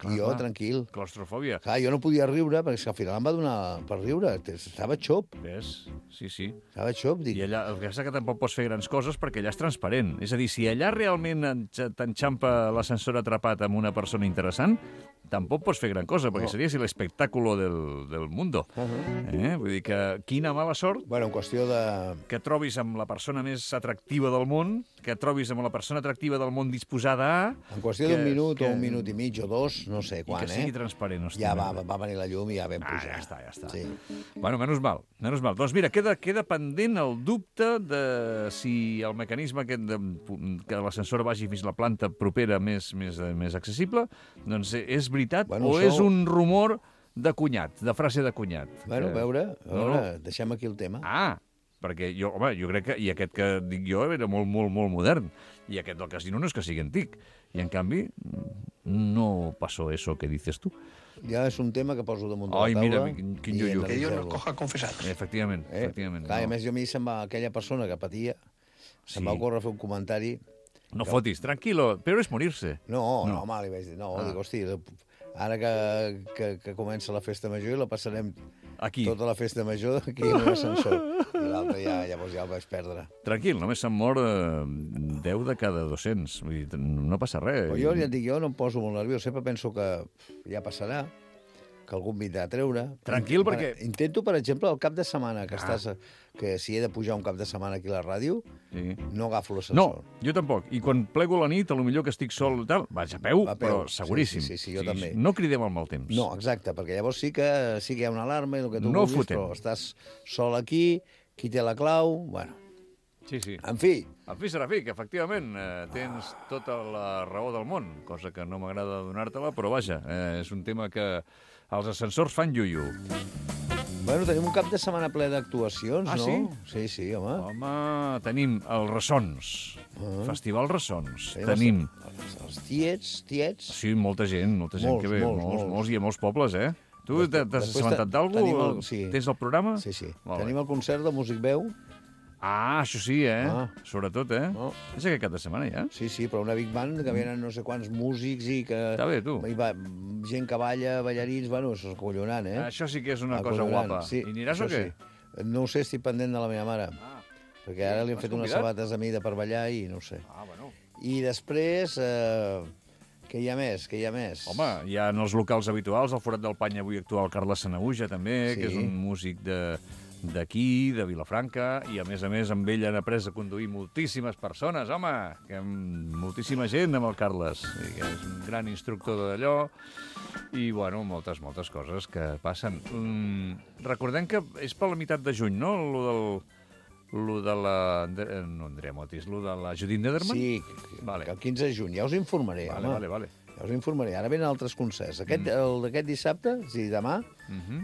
I jo, tranquil. Claustrofòbia. Clar, jo no podia riure, perquè al final em va donar per riure. Estava xop. Ves? Sí. Estava xop, dic. I allà, el que és que tampoc pots fer grans coses perquè allà és transparent. És a dir, si allà realment t'enxampa l'ascensor atrapat amb una persona interessant, tampoc pots fer gran cosa, perquè seria l'espectàculo del mundo. Vull dir que quina mala sort... Bueno, en qüestió de... Que trobis amb la persona més atractiva del món, que trobis amb la persona atractiva del món disposada a... En qüestió d'un minut o un minut i mig o 2, no sé quan, I que sigui transparent. Ja va venir la llum i ja vam pujar. Ja està. Sí. Bueno, menys mal. Doncs mira, queda pendent el dubte de si el mecanisme aquest que l'ascensor vagi fins a la planta propera més accessible, doncs és veritat o és un rumor de cunyat, de frase de cunyat. Bueno, a veure, deixem aquí el tema. perquè jo crec que, i aquest que dic jo era molt, molt, molt modern, i aquest del casino no és que sigui antic, i en canvi no passó eso que dices tu. Ja és un tema que poso damunt de la Ai, taula. mira, quin ioió. Que Dios nos coja confesados. Efectivament. Clar, a més, a mi se'm va, aquella persona que patia, se'm va ocórrer fer un comentari. No fotis, tranquilo, però és morir-se. No, home, li vaig dir, dic, hosti, ara que comença la festa major i la passarem Aquí. tota la festa major aquí en un ascensor. I l'altre llavors ja el vaig perdre. Tranquil, només se'n mor 10 de cada 200. Vull dir, no passa res. Però jo ja et dic, jo no em poso molt nerviós, sempre penso que ja passarà, que algú em vindrà a treure. Tranquil, perquè... Intento, per exemple, el cap de setmana que estàs... Que si he de pujar un cap de setmana aquí a la ràdio, no agafo l'ascensor. No, jo tampoc. I quan plego la nit, potser que estic sol i tal, vaig a peu, però seguríssim. Sí, jo també. No cridem al mal temps. No, exacte, perquè llavors sí que hi ha una alarma i el que tu No vulguis, fotem. però estàs sol aquí, qui té la clau... Bueno, Sí. en fi, En fi, Serafí, que efectivament tens tota la raó del món, cosa que no m'agrada donar-te-la, però vaja, és un tema que els ascensors fan iuiu. bueno, tenim un cap de setmana ple d'actuacions, Ah, no? Sí, home. Home, tenim els Ressons, Festival Ressons. Tenim Tenim, Els tiets... sí, molta gent Molts, que ve, molts. molts, i a molts pobles, eh? Tu t'has Després assabentat d'algú? tenim sí. Tens el programa? Sí. Molt bé. Tenim el concert de Músic Veu. Ah, això sí, eh? Ah. Sobretot, eh? No. És aquest cap de setmana, ja? Sí, però una big band que venen no sé quants músics i que... Està bé, tu. Gent que balla, ballarins, bueno, és acollonant, eh? Això sí que és una cosa Acollonant, guapa. sí, I aniràs o això què? Sí. No ho sé, estic pendent de la meva mare. Perquè ara li han M'has fet unes convidat? sabates a mida per ballar i no ho sé. Bueno. I després, què hi ha més? Home, hi ha en els locals habituals, al Forat del Pany avui actua el Carles Sanaüja, també, Sí. que és un músic d'aquí, de Vilafranca, i a més, amb ell han après a conduir moltíssimes persones, home, que moltíssima gent amb el Carles, i que és un gran instructor d'allò, i, bueno, moltes coses que passen. Recordem que és per la meitat de juny, no?, lo de la... No, Andrea Motis, lo de la Judit Nederman? Sí, Vale. que el 15 de juny, ja us informaré, home. Vale. Ja us informaré. Ara venen altres concerts. El d'aquest dissabte, o sigui, demà,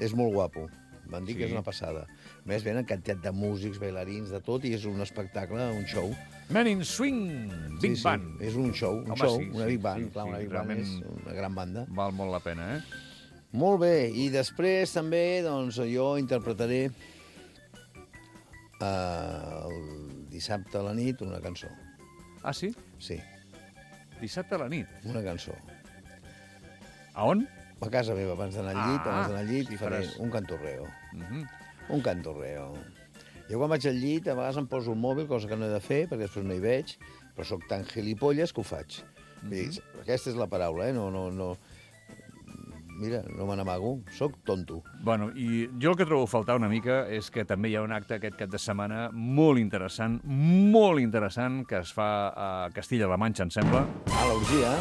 és molt guapo. M'han dit que és una passada. A més, venen quantitat de músics, bailarins, de tot, i és un espectacle, un show. Men in Swing, Big Band. És un show, una big band. Clar, una big band és una gran banda. Val molt la pena, eh? Molt bé, i després també, doncs, jo interpretaré el dissabte a la nit una cançó. Ah, sí? Sí, Dissabte a la nit. una cançó. A on? A casa meva, abans d'anar al llit, i faré faràs. un cantorreo. Mhm. Un cantorreo. Jo quan vaig al llit, a vegades em poso el mòbil, cosa que no he de fer, perquè després no hi veig, però sóc tan gilipolles que ho faig. Vull dir, aquesta és la paraula, eh? No... Mira, no me n'amago, sóc tonto. Bueno, i jo el que trobo a faltar una mica és que també hi ha un acte aquest cap de setmana molt interessant, que es fa a Castilla-La Manxa, em sembla. Ah, l'orgia.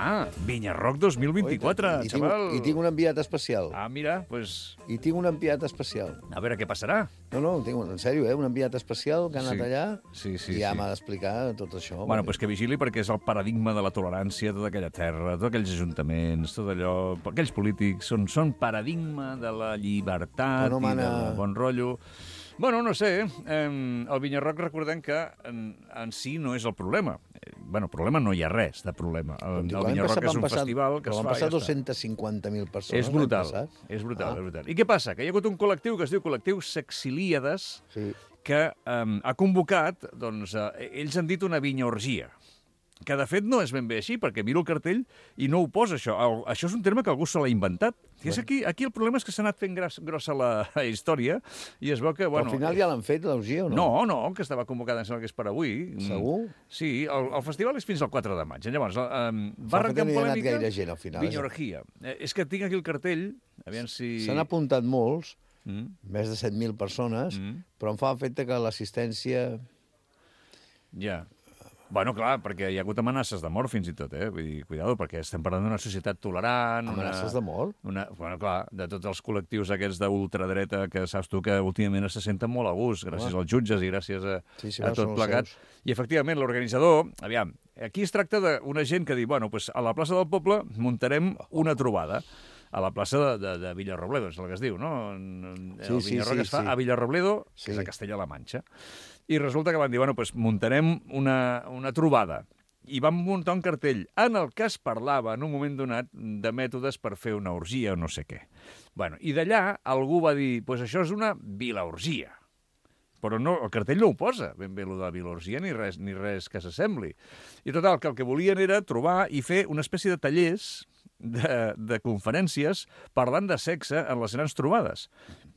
Ah, Vinyarroc 2024, xaval. I tinc un enviat especial. Ah, mira, pues... I tinc un enviat especial. A veure què passarà. No, en sèrio, un enviat especial que ha anat allà Sí, i ja m'ha d'explicar tot això. Bueno, pues que vigili perquè és el paradigma de la tolerància, tota aquella terra, tots aquells ajuntaments, tot allò, aquells polítics són paradigma de la llibertat i del bon rotllo. Bueno, no sé, el Vinyarroc recordem que en si no és el problema. Bueno, problema no hi ha res de problema. El Vinyarroc és un festival que es fa i ja està. Van passar 250.000 persones. És brutal, és brutal. I què passa? Que hi ha hagut un col·lectiu que es diu Col·lectiu Sexilíades, que ha convocat, doncs, ells han dit una vinyaorgia, que de fet no és ben bé així, perquè miro el cartell i no ho posa, això. Això és un terme que algú se l'ha inventat. Aquí el problema és que s'ha anat fent grossa la història i es veu que... Al final ja l'han fet, l'orgia, o no? No, que estava convocada, em sembla que és per avui. Segur? Sí, el festival és fins al 4 de maig. Llavors, va arrencar amb polèmica... polèmica... gaire gent, al final. Vinyorgia. És que tinc aquí el cartell, aviam si... S'han apuntat molts, més de 7.000 persones, però em fa efecte que l'assistència... Ja. Bueno, clar, perquè hi ha hagut amenaces de mort fins i tot, Vull dir, cuidado, perquè estem parlant d'una societat tolerant... Amenaces de mort? Bueno, clar, de tots els col·lectius aquests d'ultradreta que saps tu que últimament se senten molt a gust, gràcies als jutges i gràcies a tot plegat. I, efectivament, l'organitzador... Aviam, aquí es tracta d'una gent que diu, bueno, pues a la plaça del poble muntarem una trobada. a la plaça de Villarrobledo, és el que es diu, no? El Vinyarroc es fa a Villarrobledo, que és a Castella-La Manxa. I resulta que van dir, bueno, doncs muntarem una trobada. I vam muntar un cartell en el que es parlava, en un moment donat, de mètodes per fer una orgia o no sé què. Bueno, i d'allà algú va dir, doncs això és una vilaorgia. Però no, el cartell no ho posa, ben bé, allò de vilaorgia, ni res que s'assembli. I total, que el que volien era trobar i fer una espècie de tallers de conferències parlant de sexe en les grans trobades,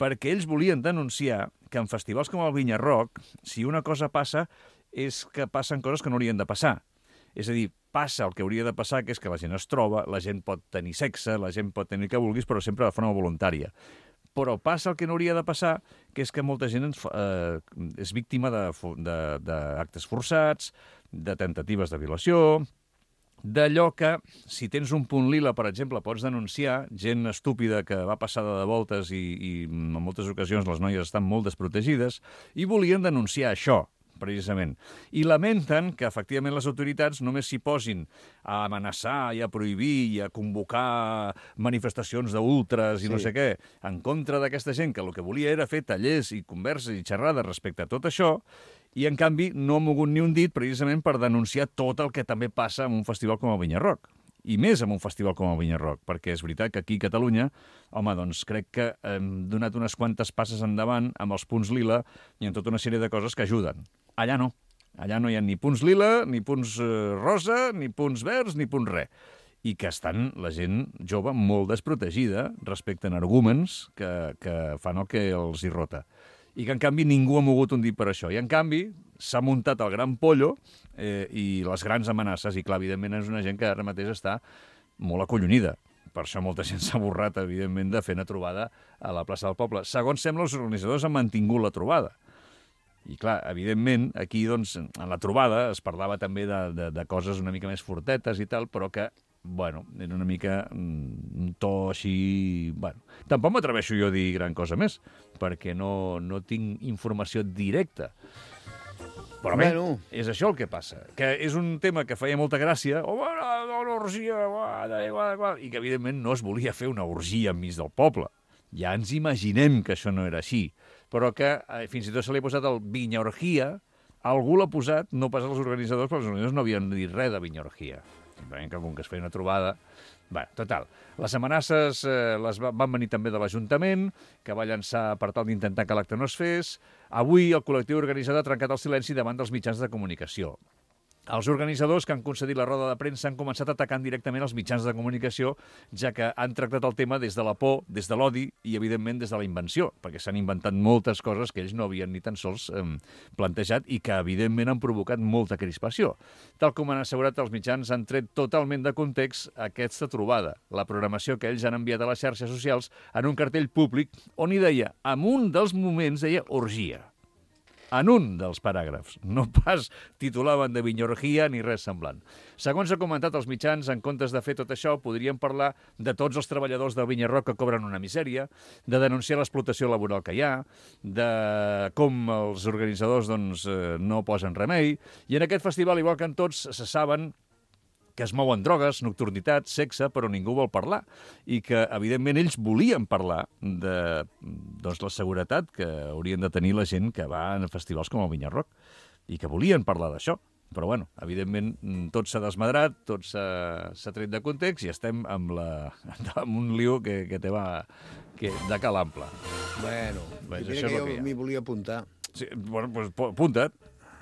perquè ells volien denunciar que en festivals com el Vinyarroc, si una cosa passa, és que passen coses que no haurien de passar. És a dir, passa el que hauria de passar, que és que la gent es troba, la gent pot tenir sexe, la gent pot tenir el que vulguis, però sempre de forma voluntària. Però passa el que no hauria de passar, que és que molta gent és víctima d'actes forçats, de tentatives de violació, d'allò que, si tens un punt lila, per exemple, pots denunciar gent estúpida que va passada de voltes i en moltes ocasions les noies estan molt desprotegides, i volien denunciar això, precisament. I lamenten que, efectivament, les autoritats només s'hi posin a amenaçar i a prohibir i a convocar manifestacions d'ultres i no sé què, en contra d'aquesta gent que el que volia era fer tallers i converses i xerrades respecte a tot això, i, en canvi, no ha mogut ni un dit precisament per denunciar tot el que també passa en un festival com el Vinyarroc. I més en un festival com el Vinyarroc, perquè és veritat que aquí a Catalunya, home, doncs crec que hem donat unes quantes passes endavant amb els punts lila i en tota una sèrie de coses que ajuden. Allà no. Allà no hi ha ni punts lila, ni punts rosa, ni punts verds, ni punts res. I que estan la gent jove molt desprotegida respecte a arguments que fan el que els hi rota. I que, en canvi, ningú ha mogut un dit per això. I, en canvi, s'ha muntat el gran pollo i les grans amenaces. I, clar, evidentment, és una gent que ara mateix està molt acollonida. Per això molta gent s'ha borrat, evidentment, de fer una trobada a la plaça del Poble. Segons sembla, els organitzadors han mantingut la trobada. I, clar, evidentment, aquí, doncs, en la trobada es parlava també de coses una mica més fortetes i tal, però que, bueno, era una mica un to així... Bueno, tampoc m'atreveixo jo a dir gran cosa més, perquè no tinc informació directa. Però bé, és això el que passa, que és un tema que feia molta gràcia, una orgia, i que, evidentment, no es volia fer una orgia enmig del poble. Ja ens imaginem que això no era així, però que fins i tot se li ha posat el Vinyarorgia, algú l'ha posat, no pas els organitzadors, però els organitzadors no havien dit res de Vinyarorgia. Simplement que com que es feia una trobada... Bé, total, les amenaces van venir també de l'Ajuntament, que va llançar per tal d'intentar que l'acte no es fes. Avui el col·lectiu organitzador ha trencat el silenci davant dels mitjans de comunicació. Els organitzadors que han concedit la roda de premsa han començat atacant directament els mitjans de comunicació, ja que han tractat el tema des de la por, des de l'odi i, evidentment, des de la invenció, perquè s'han inventat moltes coses que ells no havien ni tan sols plantejat i que, evidentment, han provocat molta crispació. Tal com han assegurat, els mitjans han tret totalment de context aquesta trobada, la programació que ells han enviat a les xarxes socials en un cartell públic on hi deia, en un dels moments, deia orgia. En un dels paràgrafs. No pas titulaven de Vinyarorgia ni res semblant. Segons ha comentat els mitjans, en comptes de fer tot això, podrien parlar de tots els treballadors del Vinyarroc que cobren una misèria, de denunciar l'explotació laboral que hi ha, de com els organitzadors no posen remei, i en aquest festival, igual que en tots, se saben que es mouen drogues, nocturnitat, sexe, però ningú vol parlar. I que, evidentment, ells volien parlar de la seguretat que haurien de tenir la gent que va a festivals com el Vinyarroc. I que volien parlar d'això. Però, bueno, evidentment, tot s'ha desmadrat, tot s'ha tret de context i estem amb un lío que té de cal ample. Bueno, mira que jo m'hi volia apuntar. Sí, bueno, doncs apunta't.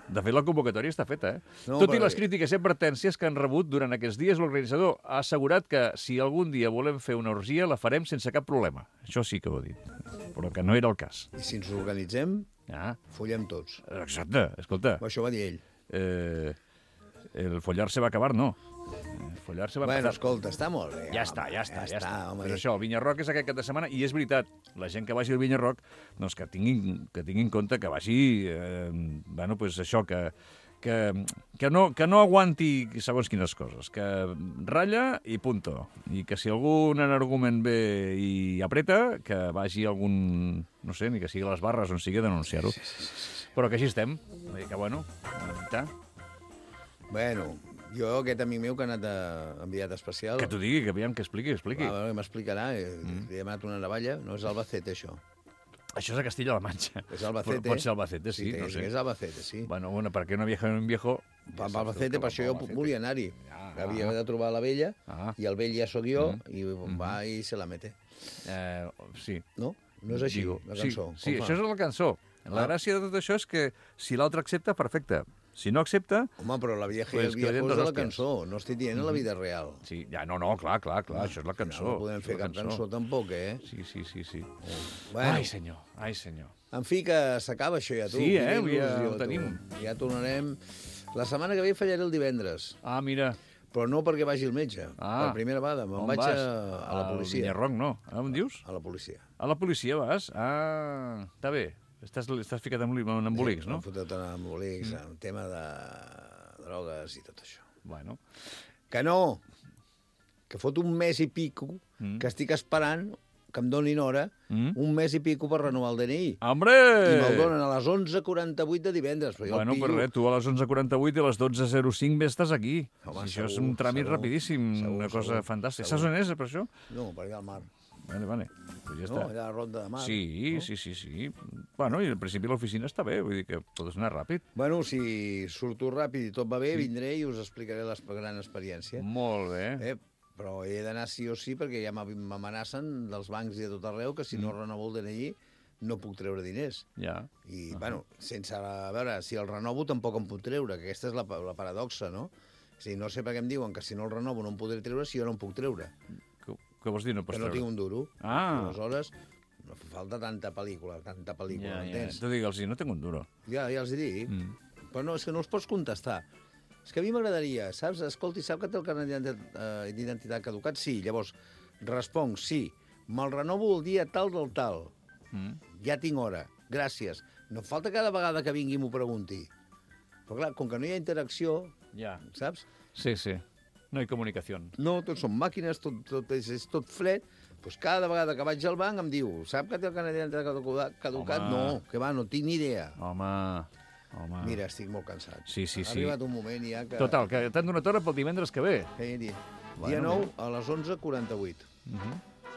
De fet, la convocatòria està feta, Tot i les crítiques i advertències que han rebut durant aquests dies, l'organitzador ha assegurat que si algun dia volem fer una orgia, la farem sense cap problema. Això sí que ho ha dit, però que no era el cas. I si ens organitzem, follem tots. Exacte, escolta. Això va dir ell. El follar-se va acabar, no. Bueno, escolta, està molt bé. Ja està. Però això, el Vinyarroc és aquest cap de setmana i és veritat, la gent que vagi al Vinyarroc, doncs que tinguin en compte que vagi, això, que no aguanti segons quines coses, que ratlla i punto. I que si algun argument ve i apreta, que vagi algun, no sé, ni que sigui a les barres on sigui a denunciar-ho. Però que així estem. Que, bueno, Bueno, Jo, aquest amic meu que ha anat enviat especial... Que t'ho digui, que aviam, que expliqui. Clar, m'explicarà. Li he demanat una navalla. No és Albacete, això. Això és a Castilla-La Manxa. És Albacete. Pot ser Albacete, sí, no sé. És Albacete, sí. Bueno, per què no viaja un viejo... Albacete, per això jo volia anar-hi. Havia de trobar la vella, i el vell ja sóc jo, i va i se la mete. Sí. No? No és així, la cançó. Sí, això és la cançó. La gràcia de tot això és que si l'altre accepta, perfecte. Si no accepta... Home, però la vieja i el viejo és de la cançó. No estic dient la vida real. Sí, ja, no, clar, això és la cançó. No podem fer cap cançó tampoc, eh? Sí. Bueno. Ai, senyor. En fi, que s'acaba això ja, tu. Sí, ja ho tenim. Ja tornarem... La setmana que ve fallaré el divendres. Ah, mira. Però no perquè vagi al metge. Per primera vegada. Me'n vaig a la policia. Al Vinyarroc, no. On dius? A la policia. A la policia vas? Ah, està bé. Estàs ficat en embolics, no? M'he fotut en embolics, en tema de drogues i tot això. Bueno. Que no! Que fot un mes i pico que estic esperant que em donin hora, un mes i pico per renovar el DNI. Hombre! I me'l donen a les 11:48 de divendres. Bueno, per res, tu a les 11:48 i a les 12:05 bé estàs aquí. Home, això és un tràmit rapidíssim, una cosa fantàstica. Saps on és, per això? No, per allà al mar. Vale. Pues ja està. No, allà a la Ronda de Mar. Sí. Bueno, i al principi l'oficina està bé, vull dir que pots anar ràpid. Bueno, si surto ràpid i tot va bé, vindré i us explicaré la gran experiència. Molt bé. Però he d'anar sí o sí, perquè ja m'amenacen dels bancs i de tot arreu que si no renovo el DNI no puc treure diners. Ja. I, bueno, sense... A veure, si el renovo tampoc em puc treure, que aquesta és la paradoxa, no? És a dir, no sé per què em diuen que si no el renovo no em podré treure si jo no em puc treure. Què vols dir, no pots treure? Que no tinc un duro. Aleshores, no fa falta tanta pel·lícula, m'entens? Tu digue'ls, no tinc un duro. Ja els dic. Però no, és que no els pots contestar. És que a mi m'agradaria, saps? Escolti, sap que té el carnet d'identitat caducat? Sí. Llavors, responc, sí. Me'l renovo el dia tal del tal. Ja tinc hora. Gràcies. No falta cada vegada que vingui m'ho pregunti. Però clar, com que no hi ha interacció, saps? Sí. No hi ha comunicació. No, tot són màquines, és tot fred. Doncs cada vegada que vaig al banc em diu, sap que té el carnet d'identitat caducat? No, que va, no tinc ni idea. Home. Mira, estic molt cansat. Sí. Ha arribat un moment ja que... Total, que t'han donat hora pel divendres que ve. Dia 9 a les 11:48.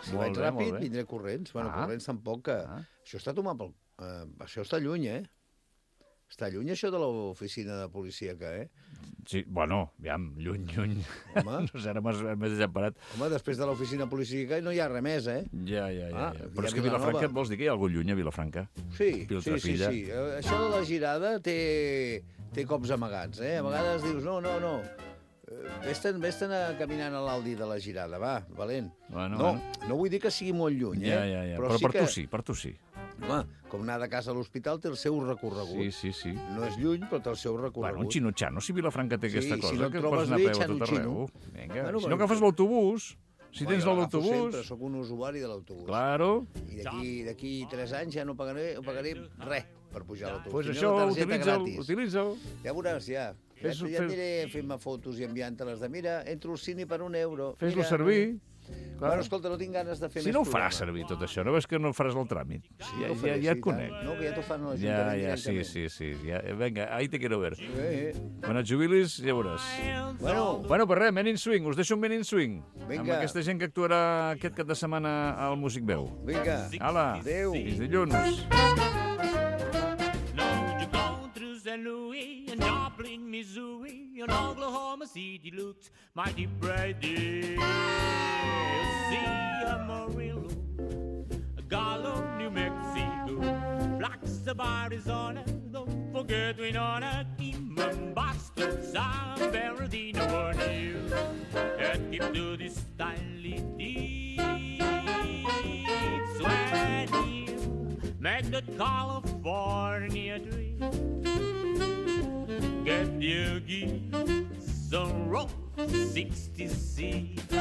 Si vaig ràpid, vindré corrents. Bueno, corrents tampoc que... Això està tomat pel... Això està lluny, Està lluny, això de l'oficina de policia, Sí, bueno, aviam, lluny. Home. No sé, ara m'has desemparat. Home, després de l'oficina de policia no hi ha res més, Ja. Però és que Vilafranca, et vols dir que hi ha algú lluny a Vilafranca? Sí. Això de la girada té cops amagats, A vegades dius, no. Vés-te'n caminant a l'Aldi de la girada, va, valent. No vull dir que sigui molt lluny, Ja. Però per tu sí. Home, com anar de casa a l'hospital té el seu recorregut. Sí. No és lluny, però té el seu recorregut. Bueno, un xinutxano, si Vilafranca té aquesta cosa, si no que trobes pots anar a peu a tot arreu. Vinga, si no agafes l'autobús, si tens l'autobús... Sempre soc un usuari de l'autobús. Claro. I d'aquí 3 anys ja no pagaré res per pujar a l'autobús. Pues això, utilitza'l. Ja veuràs, ja. Ja aniré fent-me fotos i enviant-te-les de mira, entro al cine per €1. Fes-lo servir. Bueno, escolta, no tinc ganes de fer més Si no ho faràs servir tot això, no veus que no faràs el tràmit? Ja et conec. No, que ja t'ho fan a l'Ajuntament directament. Sí. Venga, ahí te quiero ver. Quan et jubilis, ja veuràs. Bueno, pues res, Men in Swing, us deixo un Men in Swing. Amb aquesta gent que actuarà aquest cap de setmana al Músic Veu. Vinga. Hala, adéu. Fins dilluns. St. Louis and Joplin, Missouri and Oklahoma City looks mighty bright there. See Amarillo, Gallo, New Mexico, Blacks of Arizona, don't forget Winona, Kingman, Boston, San Bernardino, were new. And keep to this stylish deeds when you make that California dream. Get your geese some rope 60 seats.